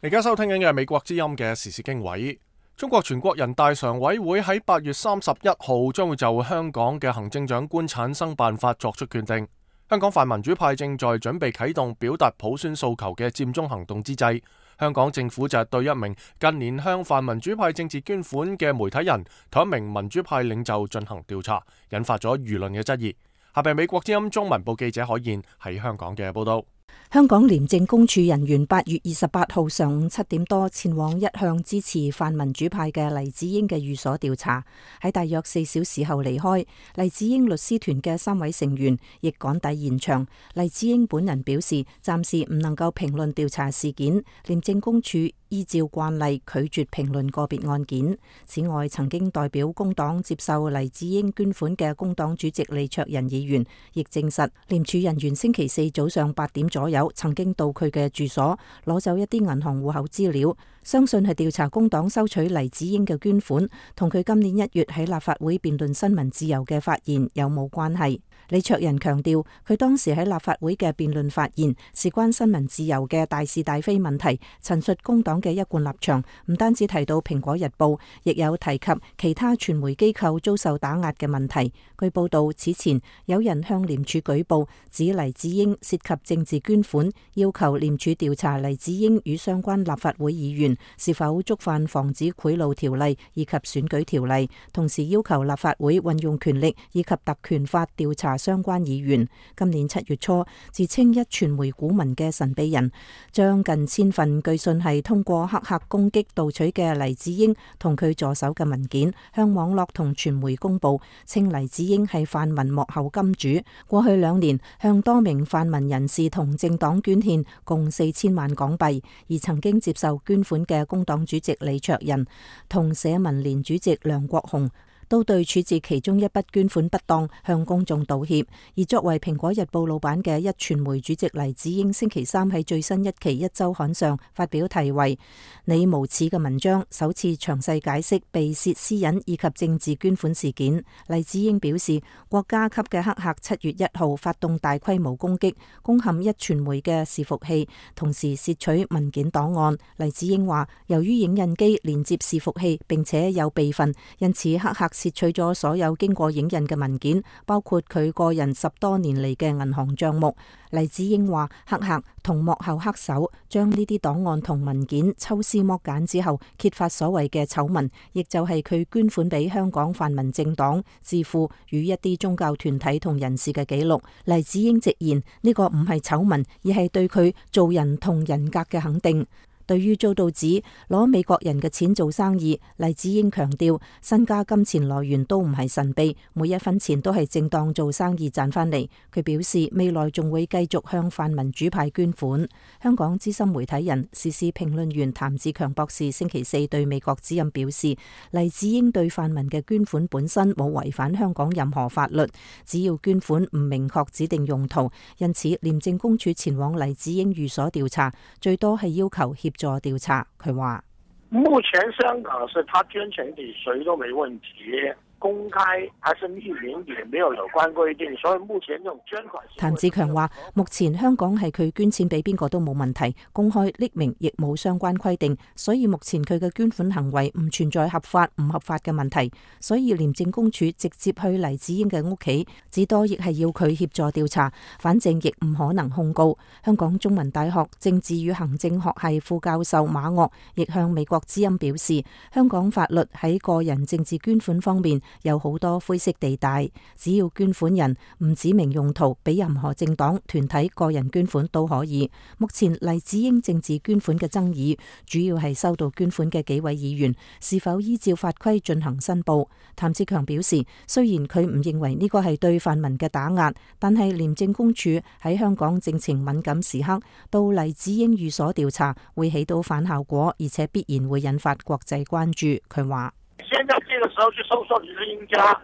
Speaker 1: 而家收聽緊嘅係美國之音嘅時事經緯。中國全國人大常委會喺8月31號將會就香港嘅行政長官產生辦法作出決定。香港泛民主派正在準備啟動表達普選訴求嘅佔中行動之際，香港政府就對一名近年向泛民主派政治捐款嘅媒體人同一名民主派領袖進行調查，引發咗輿論嘅質疑。下邊美國之音中文部記者海燕喺香港嘅報道。
Speaker 5: 香港廉政公署人員8月28號上午7點多前往一向支持泛民主派嘅黎智英嘅寓所調查，喺大約4小時後離開。黎智英律師團嘅3位成員亦趕抵現場。黎智英本人表示，暫時唔能夠評論調查事件，廉政公署依照慣例拒絕評論個別案件。此外，曾經代表工黨接受黎智英捐款嘅工黨主席李卓人議員亦證實，廉署人員星期四早上8點左右曾經到佢嘅住所攞走一啲銀行戶口資料，相信係調查工黨收取黎智英嘅捐款同佢今年1月喺立法會辯論新聞自由嘅發言有冇關係。李卓人強調，佢當時喺立法會嘅辯論發言事關新聞自由嘅大是大非問題，陳述工黨嘅一貫立場，唔單止提到蘋果日報，亦有提及其他傳媒機構遭受打壓嘅問題。據報道，此前有人向廉署舉報，指黎智英涉及政治捐款，要求廉署調查黎智英與相關立法會議員是否觸犯防止賄賂條例以及選舉條例，同時要求立法會運用權力以及特權法調查相關議員。今年7月初，自稱壹傳媒股民嘅神秘人，將近1000份據信係通過黑客攻擊盜取嘅黎智英同佢助手嘅文件，向網絡同傳媒公佈，稱黎智英係泛民幕後金主，過去2年向多名泛民人士同政黨捐獻共4000萬港幣，而曾經接受捐款嘅工黨主席李卓人同社民連主席梁國雄都對處置其中一筆捐款不當向公眾道歉。而作為蘋果日報老闆嘅壹傳媒主席黎智英星期3喺最新一期壹週刊上發表題為你無恥嘅文章，首次詳細解釋被竊私隱以及政治捐款事件。黎智英表示，國家級嘅黑客7月1號發動大規模攻擊，攻陷壹傳媒嘅伺服器，同時竊取文件檔案。黎智英話，由於影印機連接伺服器並且有備份，因此黑客竊取咗所有經過影印嘅文件，包括佢個人10多年嚟嘅銀行賬目。黎智英話，黑客同幕後黑手將呢啲檔案同文件抽絲剝繭之後，揭發所謂嘅醜聞，亦就係佢捐款俾香港泛民政黨、智庫與一啲宗教團體同人士嘅記錄。黎智英直言，呢個唔係醜聞，而係對佢做人同人格嘅肯定。對於遭到指攞美國人嘅錢做生意，黎智英強調，身家金錢來源都唔係神秘，每一分錢都係正當做生意賺翻嚟。佢表示未來仲會繼續向泛民主派捐款。香港資深媒體人、時事評論員譚志強博士星期4對美國之音表示，黎智英對泛民嘅捐款本身冇違反香港任何法律，只要捐款唔明確指定用途，因此廉政公署前往黎智英寓所調查，最多係要求協助調查。佢話：
Speaker 13: 目前香港是他捐錢給誰都沒問題，
Speaker 9: 公開還是匿名，也沒有關規定，所以目前這種捐款。
Speaker 5: 譚志強話：目前香港係佢捐錢俾邊個都冇問題，公開匿名亦冇相關規定，所以目前佢嘅捐款行為唔存在合法唔合法嘅問題，所以廉政公署直接去黎智英嘅屋企，至多亦係要佢協助調查，反正亦唔可能控告。香港中文大學政治與行政學系副教授馬岳亦向美國之音表示，香港法律喺個人政治捐款方面有好多灰色地帶，只要捐款人唔指明用途俾任何政黨、團體、個人捐款都可以。目前黎智英政治捐款嘅爭議，主要係收到捐款嘅幾位議員是否依照法規進行申報。譚志強表示，雖然佢唔認為呢個係對泛民嘅打壓，但係廉政公署喺香港政情敏感時刻到黎智英寓所調查，會起到反效果，而且必然會引發國際關注。佢話：
Speaker 9: 現在這個時候去搜索黎智英家，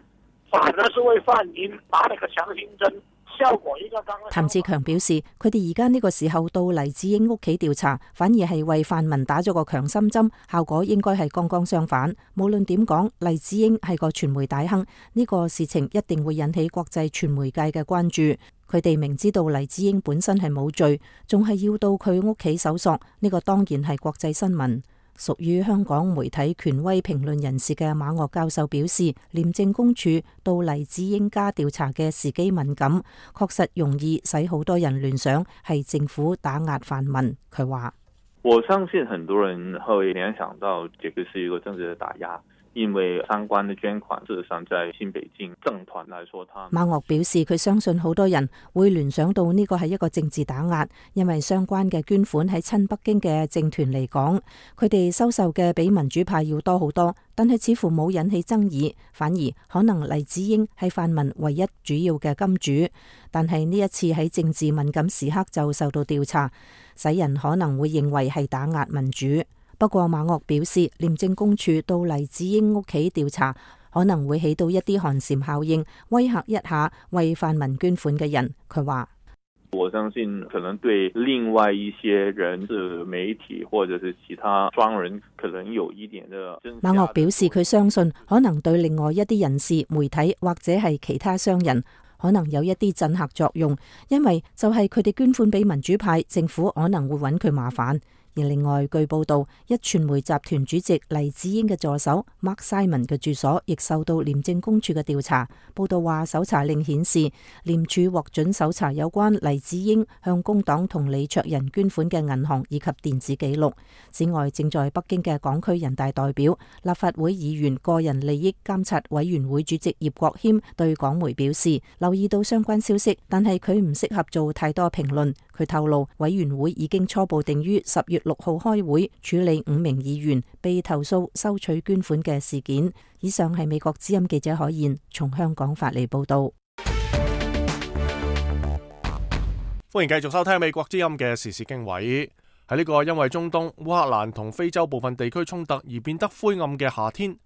Speaker 9: 反而是為泛民打了個強心針，效果應該剛剛。
Speaker 5: 譚志強表示，佢哋而家呢個時候到黎智英屋企調查，反而係為泛民打咗個強心針，效果應該係剛剛相反。無論點講，黎智英係個傳媒大亨，呢個事情一定會引起國際傳媒界嘅關注。佢哋明知道黎智英本身係冇罪，仲係要到佢屋企搜索，呢個當然係國際新聞。屬於香港媒體權威評論人士嘅馬岳教授表示，廉政公署到黎智英家調查嘅時機敏感，確實容易使好多人聯想係政府打壓泛民。佢話：
Speaker 13: 我相信很多人會聯想到這個是一個政治的打壓。因為相關的捐款，事實上在新北京政團來說，
Speaker 5: 馬岳表示佢相信好多人會聯想到呢個係一個政治打壓，因為相關嘅捐款喺親北京嘅政團嚟講，佢哋收受嘅比民主派要多好多，但係似乎冇引起爭議，反而可能黎智英係泛民唯一主要嘅金主，但係呢一次喺政治敏感時刻就受到調查，使人可能會認為係打壓民主。不過馬岳表示，廉政公署到黎智英屋企調查，可能會起到一啲寒蟬效應，威嚇一下為泛民捐款嘅人。佢話：
Speaker 13: 我相信可能對另外一些人，是媒體或者是其他商人，可能有一點的。
Speaker 5: 馬岳表示佢相信，可能對另外一啲人士、媒體或者係其他商人，可能有一啲震嚇作用，因為就係佢哋捐款俾民主派，政府可能會揾佢麻煩。而另外，據報道，壹傳媒集團主席黎智英嘅助手 Mark Simon 嘅住所亦受到廉政公署嘅調查。報道話，搜查令顯示廉署獲准搜查有關黎智英向工黨同李卓人捐款嘅銀行以及電子記錄。此外，正在北京嘅港區人大代表、立法會議員個人利益監察委員會主席葉國謙對港媒表示，留意到相關消息，但係佢唔適合做太多評論。佢透露，委員會已經初步定於10月6號開會處理5名議員被投訴收取捐款嘅事件。以上係美國之音記者海燕從香港發嚟報道。
Speaker 1: 歡迎繼續收聽美國之音嘅時事經緯。喺呢個因為中東、烏克蘭同非洲部分地區衝突而變得灰暗嘅夏天，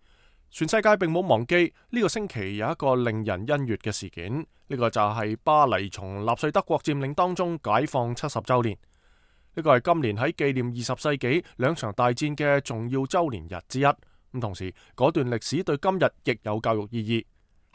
Speaker 1: 全世界並冇忘記呢個星期有一個令人欣悅嘅事件。呢個就係巴黎從納粹德國佔領當中解放70週年。呢個係今年喺紀念20世紀兩場大戰嘅重要週年日之一。咁同時，嗰段歷史對今日亦有教育意義。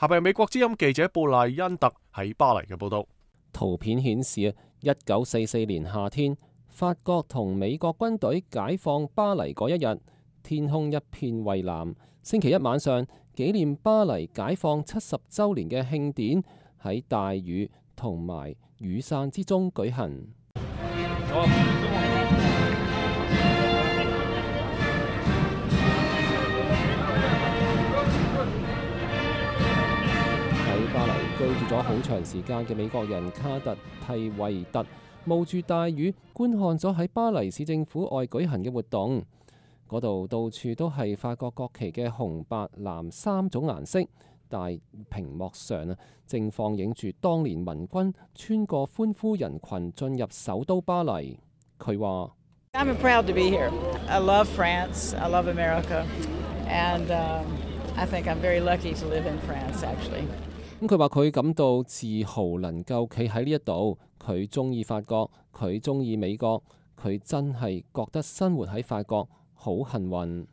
Speaker 1: 下邊係美國之音記者布賴恩特喺巴黎嘅報道。
Speaker 6: 圖片顯示1944年夏天，法國同美國軍隊解放巴黎嗰一日，天空一片蔚藍。星期一晚上，紀念巴黎解放70週年嘅慶典喺大雨同埋雨傘之中舉行。喺巴黎居住咗好長時間嘅美國人卡特蒂維特冒住大雨觀看咗喺巴黎市政府外舉行嘅活動。嗰度到處都係法國國旗嘅紅、白、藍3種顏色。大屏幕上正放映住當年民軍穿過歡呼人群進入首都巴黎。佢話
Speaker 14: ：I'm proud to be here. I love France. I love America. And I think I'm very lucky to live in France, actually.
Speaker 6: 佢話佢感到自豪能夠企喺呢一度。佢中意法國，佢中意美國，佢真係覺得生活喺法國好幸運。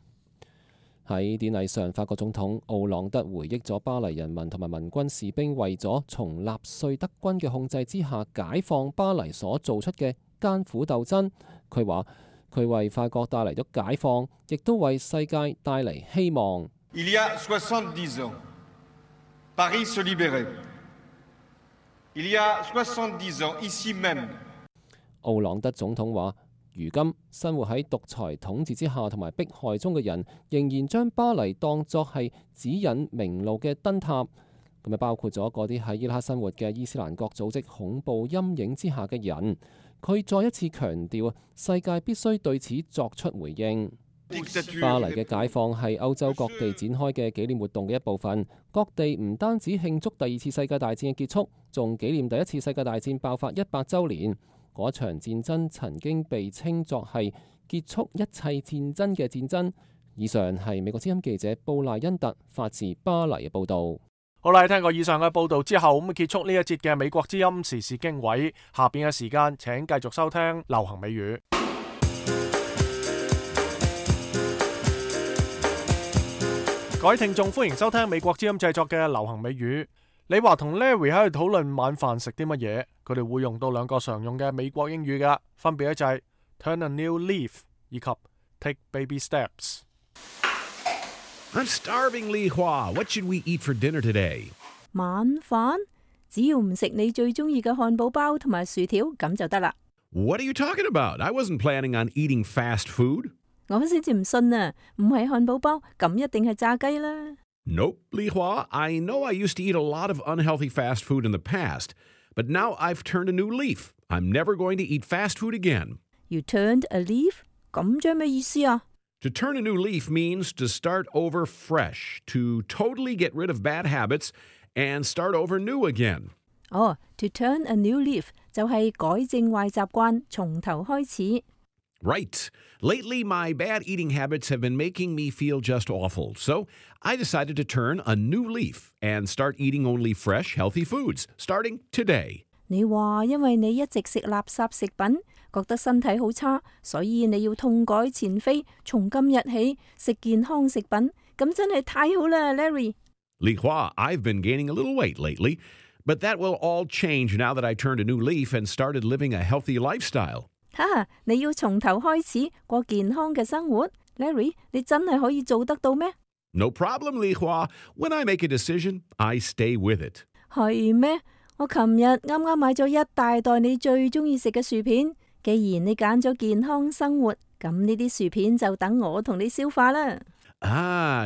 Speaker 6: 喺典禮上，法國總統奧朗德回憶咗巴黎人民同埋民軍士兵為咗從納粹德軍嘅控制之下解放巴黎所做出嘅艱苦鬥爭。佢話佢為法國帶嚟咗解放，亦都為世界帶嚟希望。
Speaker 15: Il y a 70 ans, Paris se libérait. Il y a 70 ans, ici même.
Speaker 6: 奧朗德總統話：如今生活喺獨裁統治之下同埋迫害中嘅人，仍然將巴黎當作係指引明路嘅燈塔。咁啊，包括咗嗰啲喺伊拉克生活嘅伊斯蘭國組織恐怖陰影之下嘅人。佢再一次強調，世界必須對此作出回應。巴黎嘅解放係歐洲各地展開嘅紀念活動嘅一部分。各地唔單止慶祝第二次世界大戰嘅結束，仲紀念第一次世界大戰爆發100週年。嗰場戰爭曾經被稱作係結束一切戰爭嘅戰爭。以上係美國之音記者布賴恩特發自巴黎嘅報導。
Speaker 1: 好啦，聽過以上嘅報導之後，咁結束呢一節嘅美國之音時事經緯。下邊嘅時間請繼續收聽流行美語。各位聽眾，歡迎收聽美國之音製作嘅流行美語。你話同 Larry 喺度討論晚飯食啲乜嘢，佢哋會用到兩個常用嘅美國英語㗎，分別咧就係 turn a new leaf 以及 take baby steps。I'm
Speaker 16: starving, Li Hua. What should we eat for dinner today?
Speaker 5: 晚飯只要唔食你最中意嘅漢堡包同埋薯條咁就得啦。
Speaker 16: What are you talking about? I wasn't planning on eating fast food.
Speaker 5: 我先至唔信啊！唔係漢堡包咁一定係炸雞啦。
Speaker 16: Nope, Li Hua. I know I used to eat a lot of unhealthy fast food in the past, but now I've turned a new leaf. I'm never going to eat fast food again.
Speaker 5: You turned a leaf? 咁即係咩意思啊
Speaker 16: ？To turn a new leaf means to start over fresh, to totally get rid of bad habits and start over new again.
Speaker 5: To turn a new leaf 就係改正壞習慣，從頭開始。
Speaker 16: Right. Lately, my bad eating habits have been making me feel just awful, so I decided to turn a new leaf and start eating only fresh, healthy foods, starting today.
Speaker 5: 你話因為你一直食垃圾食品，覺得身體好差，所以你要痛改前非，從今日起食健康食品，咁真係太好啦 ，Larry。Li
Speaker 16: Hua, I've been gaining a little weight lately, but that will all change now that I turned a new leaf and started living a healthy lifestyle.
Speaker 5: 你要從頭開始過健康嘅生活 ，Larry， 你真係可以做得到咩？
Speaker 16: No problem, Li Hua. When I make a decision, I stay with it.
Speaker 5: 係咩？我琴日啱啱買咗一大袋你最中意食嘅薯片。既然你揀咗健康生活，咁呢啲薯片就等我同你消化啦。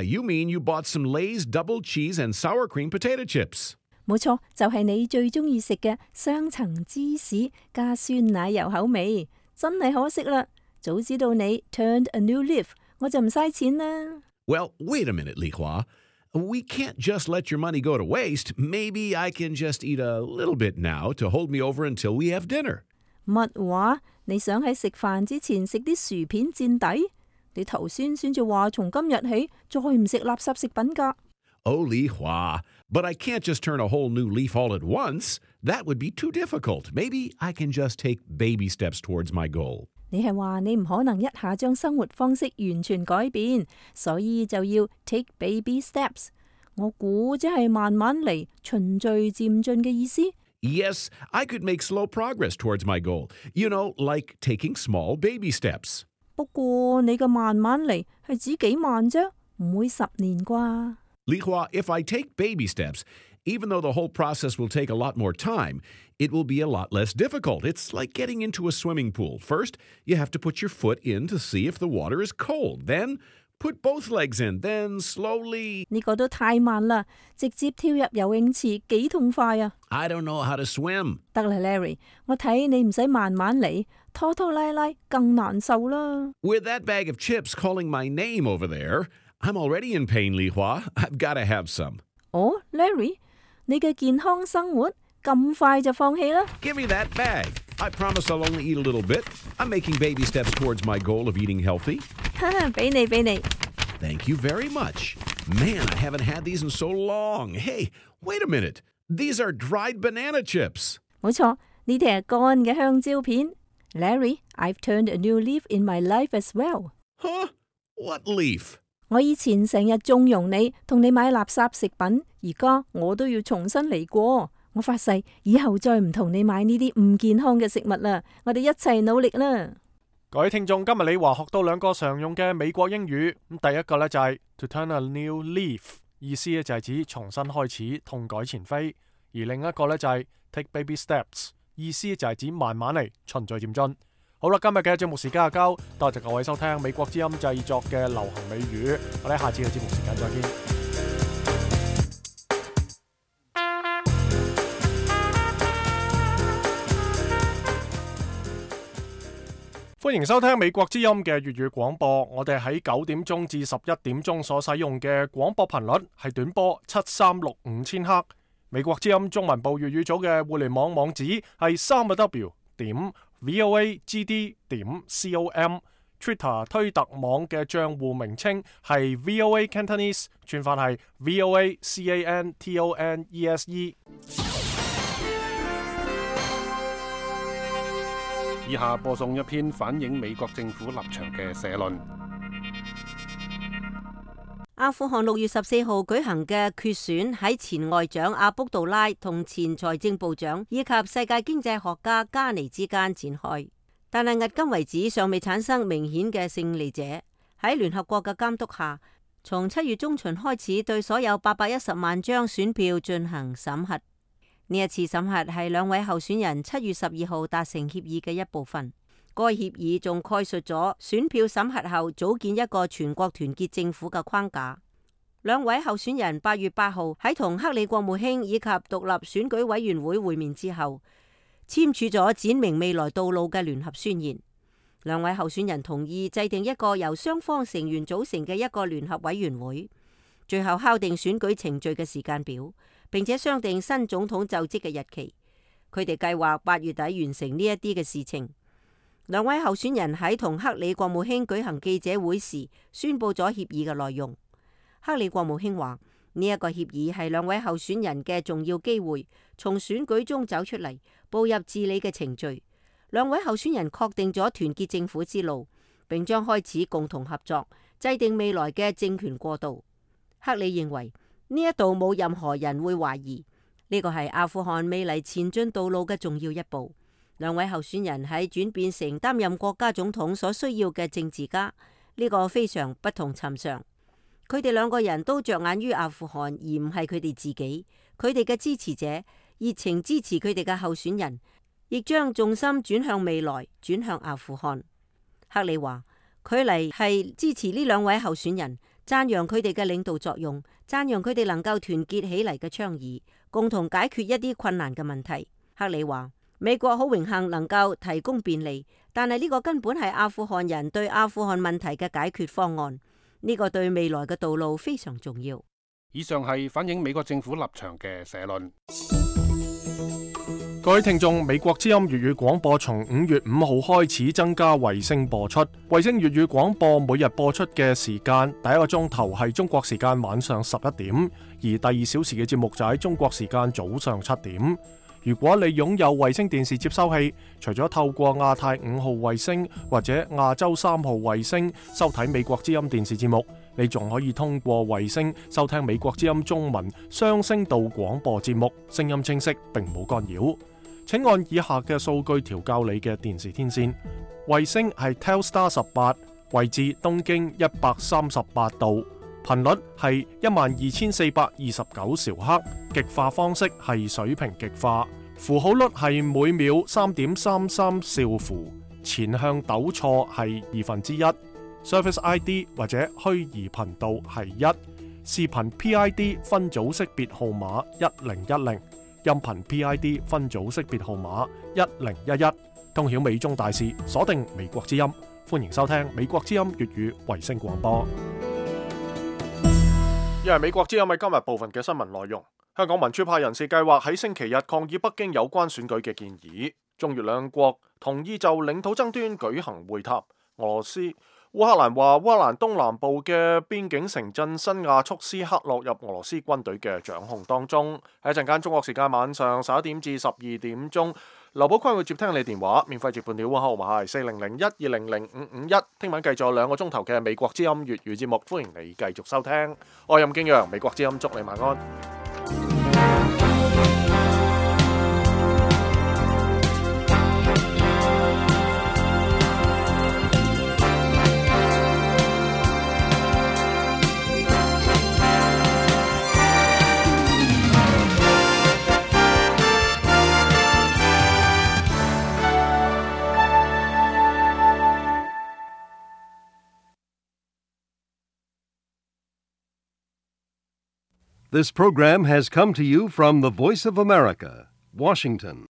Speaker 16: You mean you bought some Lay's double cheese and sour cream potato chips?
Speaker 5: 冇錯，就係你最中意食嘅雙層芝士加酸奶油口味。真係可惜啦，早知道你 turned a new leaf， 我就唔嘥錢啦。
Speaker 16: Well, wait a minute, Li Hua. We can't just let your money go to waste. Maybe I can just eat a little bit now to hold me over until we have dinner.
Speaker 5: 乜話？你想喺食飯之前食啲薯片墊底？你頭先至話從今日起再唔食垃圾食品㗎。
Speaker 16: Oh, Li Hua, but I can't just turn a whole new leaf all at once. That would be too difficult. Maybe I can just take baby steps towards my goal.
Speaker 5: 你係話你唔可能一下將生活方式完全改變，所以就要 take baby steps。我估即係慢慢嚟，循序漸進嘅意思。
Speaker 16: Yes, I could make slow progress towards my goal. You know, like taking small baby steps.
Speaker 5: 不過你嘅慢慢嚟係指幾慢啫，唔會10年啩。
Speaker 16: Li Hua, if I take baby steps, even though the whole process will take a lot more time, it will be a lot less difficult. It's like getting into a swimming pool. First, you have to put your foot in to see if the water is cold. Then, put both legs in. Then, slowly...
Speaker 5: 呢個都太慢啦，直接跳入游泳池幾痛快啊
Speaker 16: I don't know how to swim.
Speaker 5: 得啦 Larry， 我睇你唔使慢慢嚟，拖拖拉拉更難受啦。
Speaker 16: With that bag of chips calling my name over there, I'm already in pain, Li Hua. I've got to have some.
Speaker 5: Larry， 你嘅健康生活咁快就放棄啦
Speaker 16: Give me that bag. I promise I'll only eat a little bit. I'm making baby steps towards my goal of eating healthy.
Speaker 5: 俾你。
Speaker 16: Thank you very much. Man, I haven't had these in so long. Hey, wait a minute. These are dried banana chips.
Speaker 5: 冇錯，呢啲係乾嘅香蕉片。Larry, I've turned a new leaf in my life as well.
Speaker 16: Huh? What leaf?
Speaker 5: 我以前成日縱容你，同你買垃圾食品，而家我都要重新嚟過。我發誓以後再唔同你買呢啲唔健康嘅食物啦。我哋一齊努力啦！
Speaker 1: 各位聽眾，今日你話學到兩個常用嘅美國英語。咁第一個呢，就係 to turn a new leaf， 意思呢就係指重新開始，痛改前非。而另一個呢，就係 take baby steps， 意思就係指慢慢嚟，循序漸進。好啦，今日嘅節目時間就夠，多謝各位收聽美國之音製作嘅流行美語。我哋下次嘅節目時間再見。歡迎收聽美國之音嘅粵語廣播。我哋喺9點鐘至11點鐘所使用嘅廣播頻率係短波7365千赫。美國之音中文部粵語組嘅互聯網網址係3w.voagd.com。Twitter 推特網嘅賬戶名稱係 VOA Cantonese， 串法係 VOA CANTONESE。以下播送一篇反映美國政府立場嘅社論。
Speaker 11: 阿富汗6月14號舉行嘅決選喺前外長阿卜杜拉同前財政部長以及世界經濟學家加尼之間展開，但係迄今為止尚未產生明顯嘅勝利者。喺聯合國嘅監督下，從7月中旬開始對所有810萬張選票進行審核。呢一次審核係兩位候選人7月12號達成協議嘅一部分。該協議仲概述咗選票審核後組建一個全國團結政府嘅框架。兩位候選人8月8號喺同克里國務卿以及獨立選舉委員會會面之後，簽署咗展明未來道路嘅聯合宣言。兩位候選人同意制定一個由雙方成員組成嘅一個聯合委員會，最後敲定選舉程序嘅時間表，並且商定新總統就職嘅日期。佢哋計劃8月底完成呢一啲嘅事情。兩位候選人喺同克里國務卿舉行記者會時宣布咗協議嘅內容。克里國務卿話：呢一個協議係兩位候選人嘅重要機會，從選舉中走出嚟，步入治理嘅程序。兩位候選人確定咗團結政府之路，並將開始共同合作，制定未來嘅政權過渡。克里認為呢一度冇任何人會懷疑，呢個係阿富汗未來前進道路嘅重要一步。兩位候選人喺轉變成擔任國家總統所需要嘅政治家，呢個非常不同尋常。佢哋兩個人都着眼於阿富汗，而唔係佢哋自己。佢哋嘅支持者熱情支持佢哋嘅候選人，亦將重心轉向未來，轉向阿富汗。克里話：佢嚟係支持呢兩位候選人，讚揚佢哋嘅領導作用，讚揚佢哋能夠團結起嚟嘅倡議，共同解決一啲困難嘅問題。克里話：美國好榮幸能夠提供便利，但係呢個根本係阿富汗人對阿富汗問題嘅解決方案。呢個對未來嘅道路非常重要。
Speaker 1: 以上係反映美國政府立場嘅社論。各位聽眾，美國之音粵語廣播從5月5號開始增加衛星播出。衛星粵語廣播每日播出嘅時間，第一個鐘頭係中國時間晚上11點，而第2小時嘅節目就喺中國時間早上7點。如果你擁有衛星電視接收器，除咗透過亞太5號衛星或者亞洲3號衛星收睇美國之音電視節目，你仲可以通過衛星收聽美國之音中文雙聲道廣播節目，聲音清晰並冇干擾。請按以下嘅數據調校你嘅電視天線。衛星係 Telstar 18，位置東經138度，頻率係12429兆赫，極化方式係水平極化，符號率係每秒3.33兆符，前向糾錯係1/2。Service ID 或者虛擬頻道係1，視頻 PID 分組識別號碼1010，音頻 PID 分組識別號碼1011。通曉美中大事，鎖定美國之音，歡迎收聽美國之音粵語衛星廣播。因為美國之音係今日部分嘅新聞內容。香港民主派人士計劃喺星期日抗議北京有關選舉嘅建議。中越兩國同意就領土爭端舉行會談。烏克蘭話烏克蘭東南部嘅邊境城鎮新亞速斯克落入俄羅斯軍隊嘅掌控當中。喺一陣間中國時間晚上11點至12點鐘，劉寶坤會接聽你電話，免費接半條號碼係4001200551。聽晚繼續有2個鐘頭嘅美國之音粵語節目，歡迎你繼續收聽。我係任敬陽，美國之音祝你晚安。
Speaker 17: This program has come to you from the Voice of America, Washington.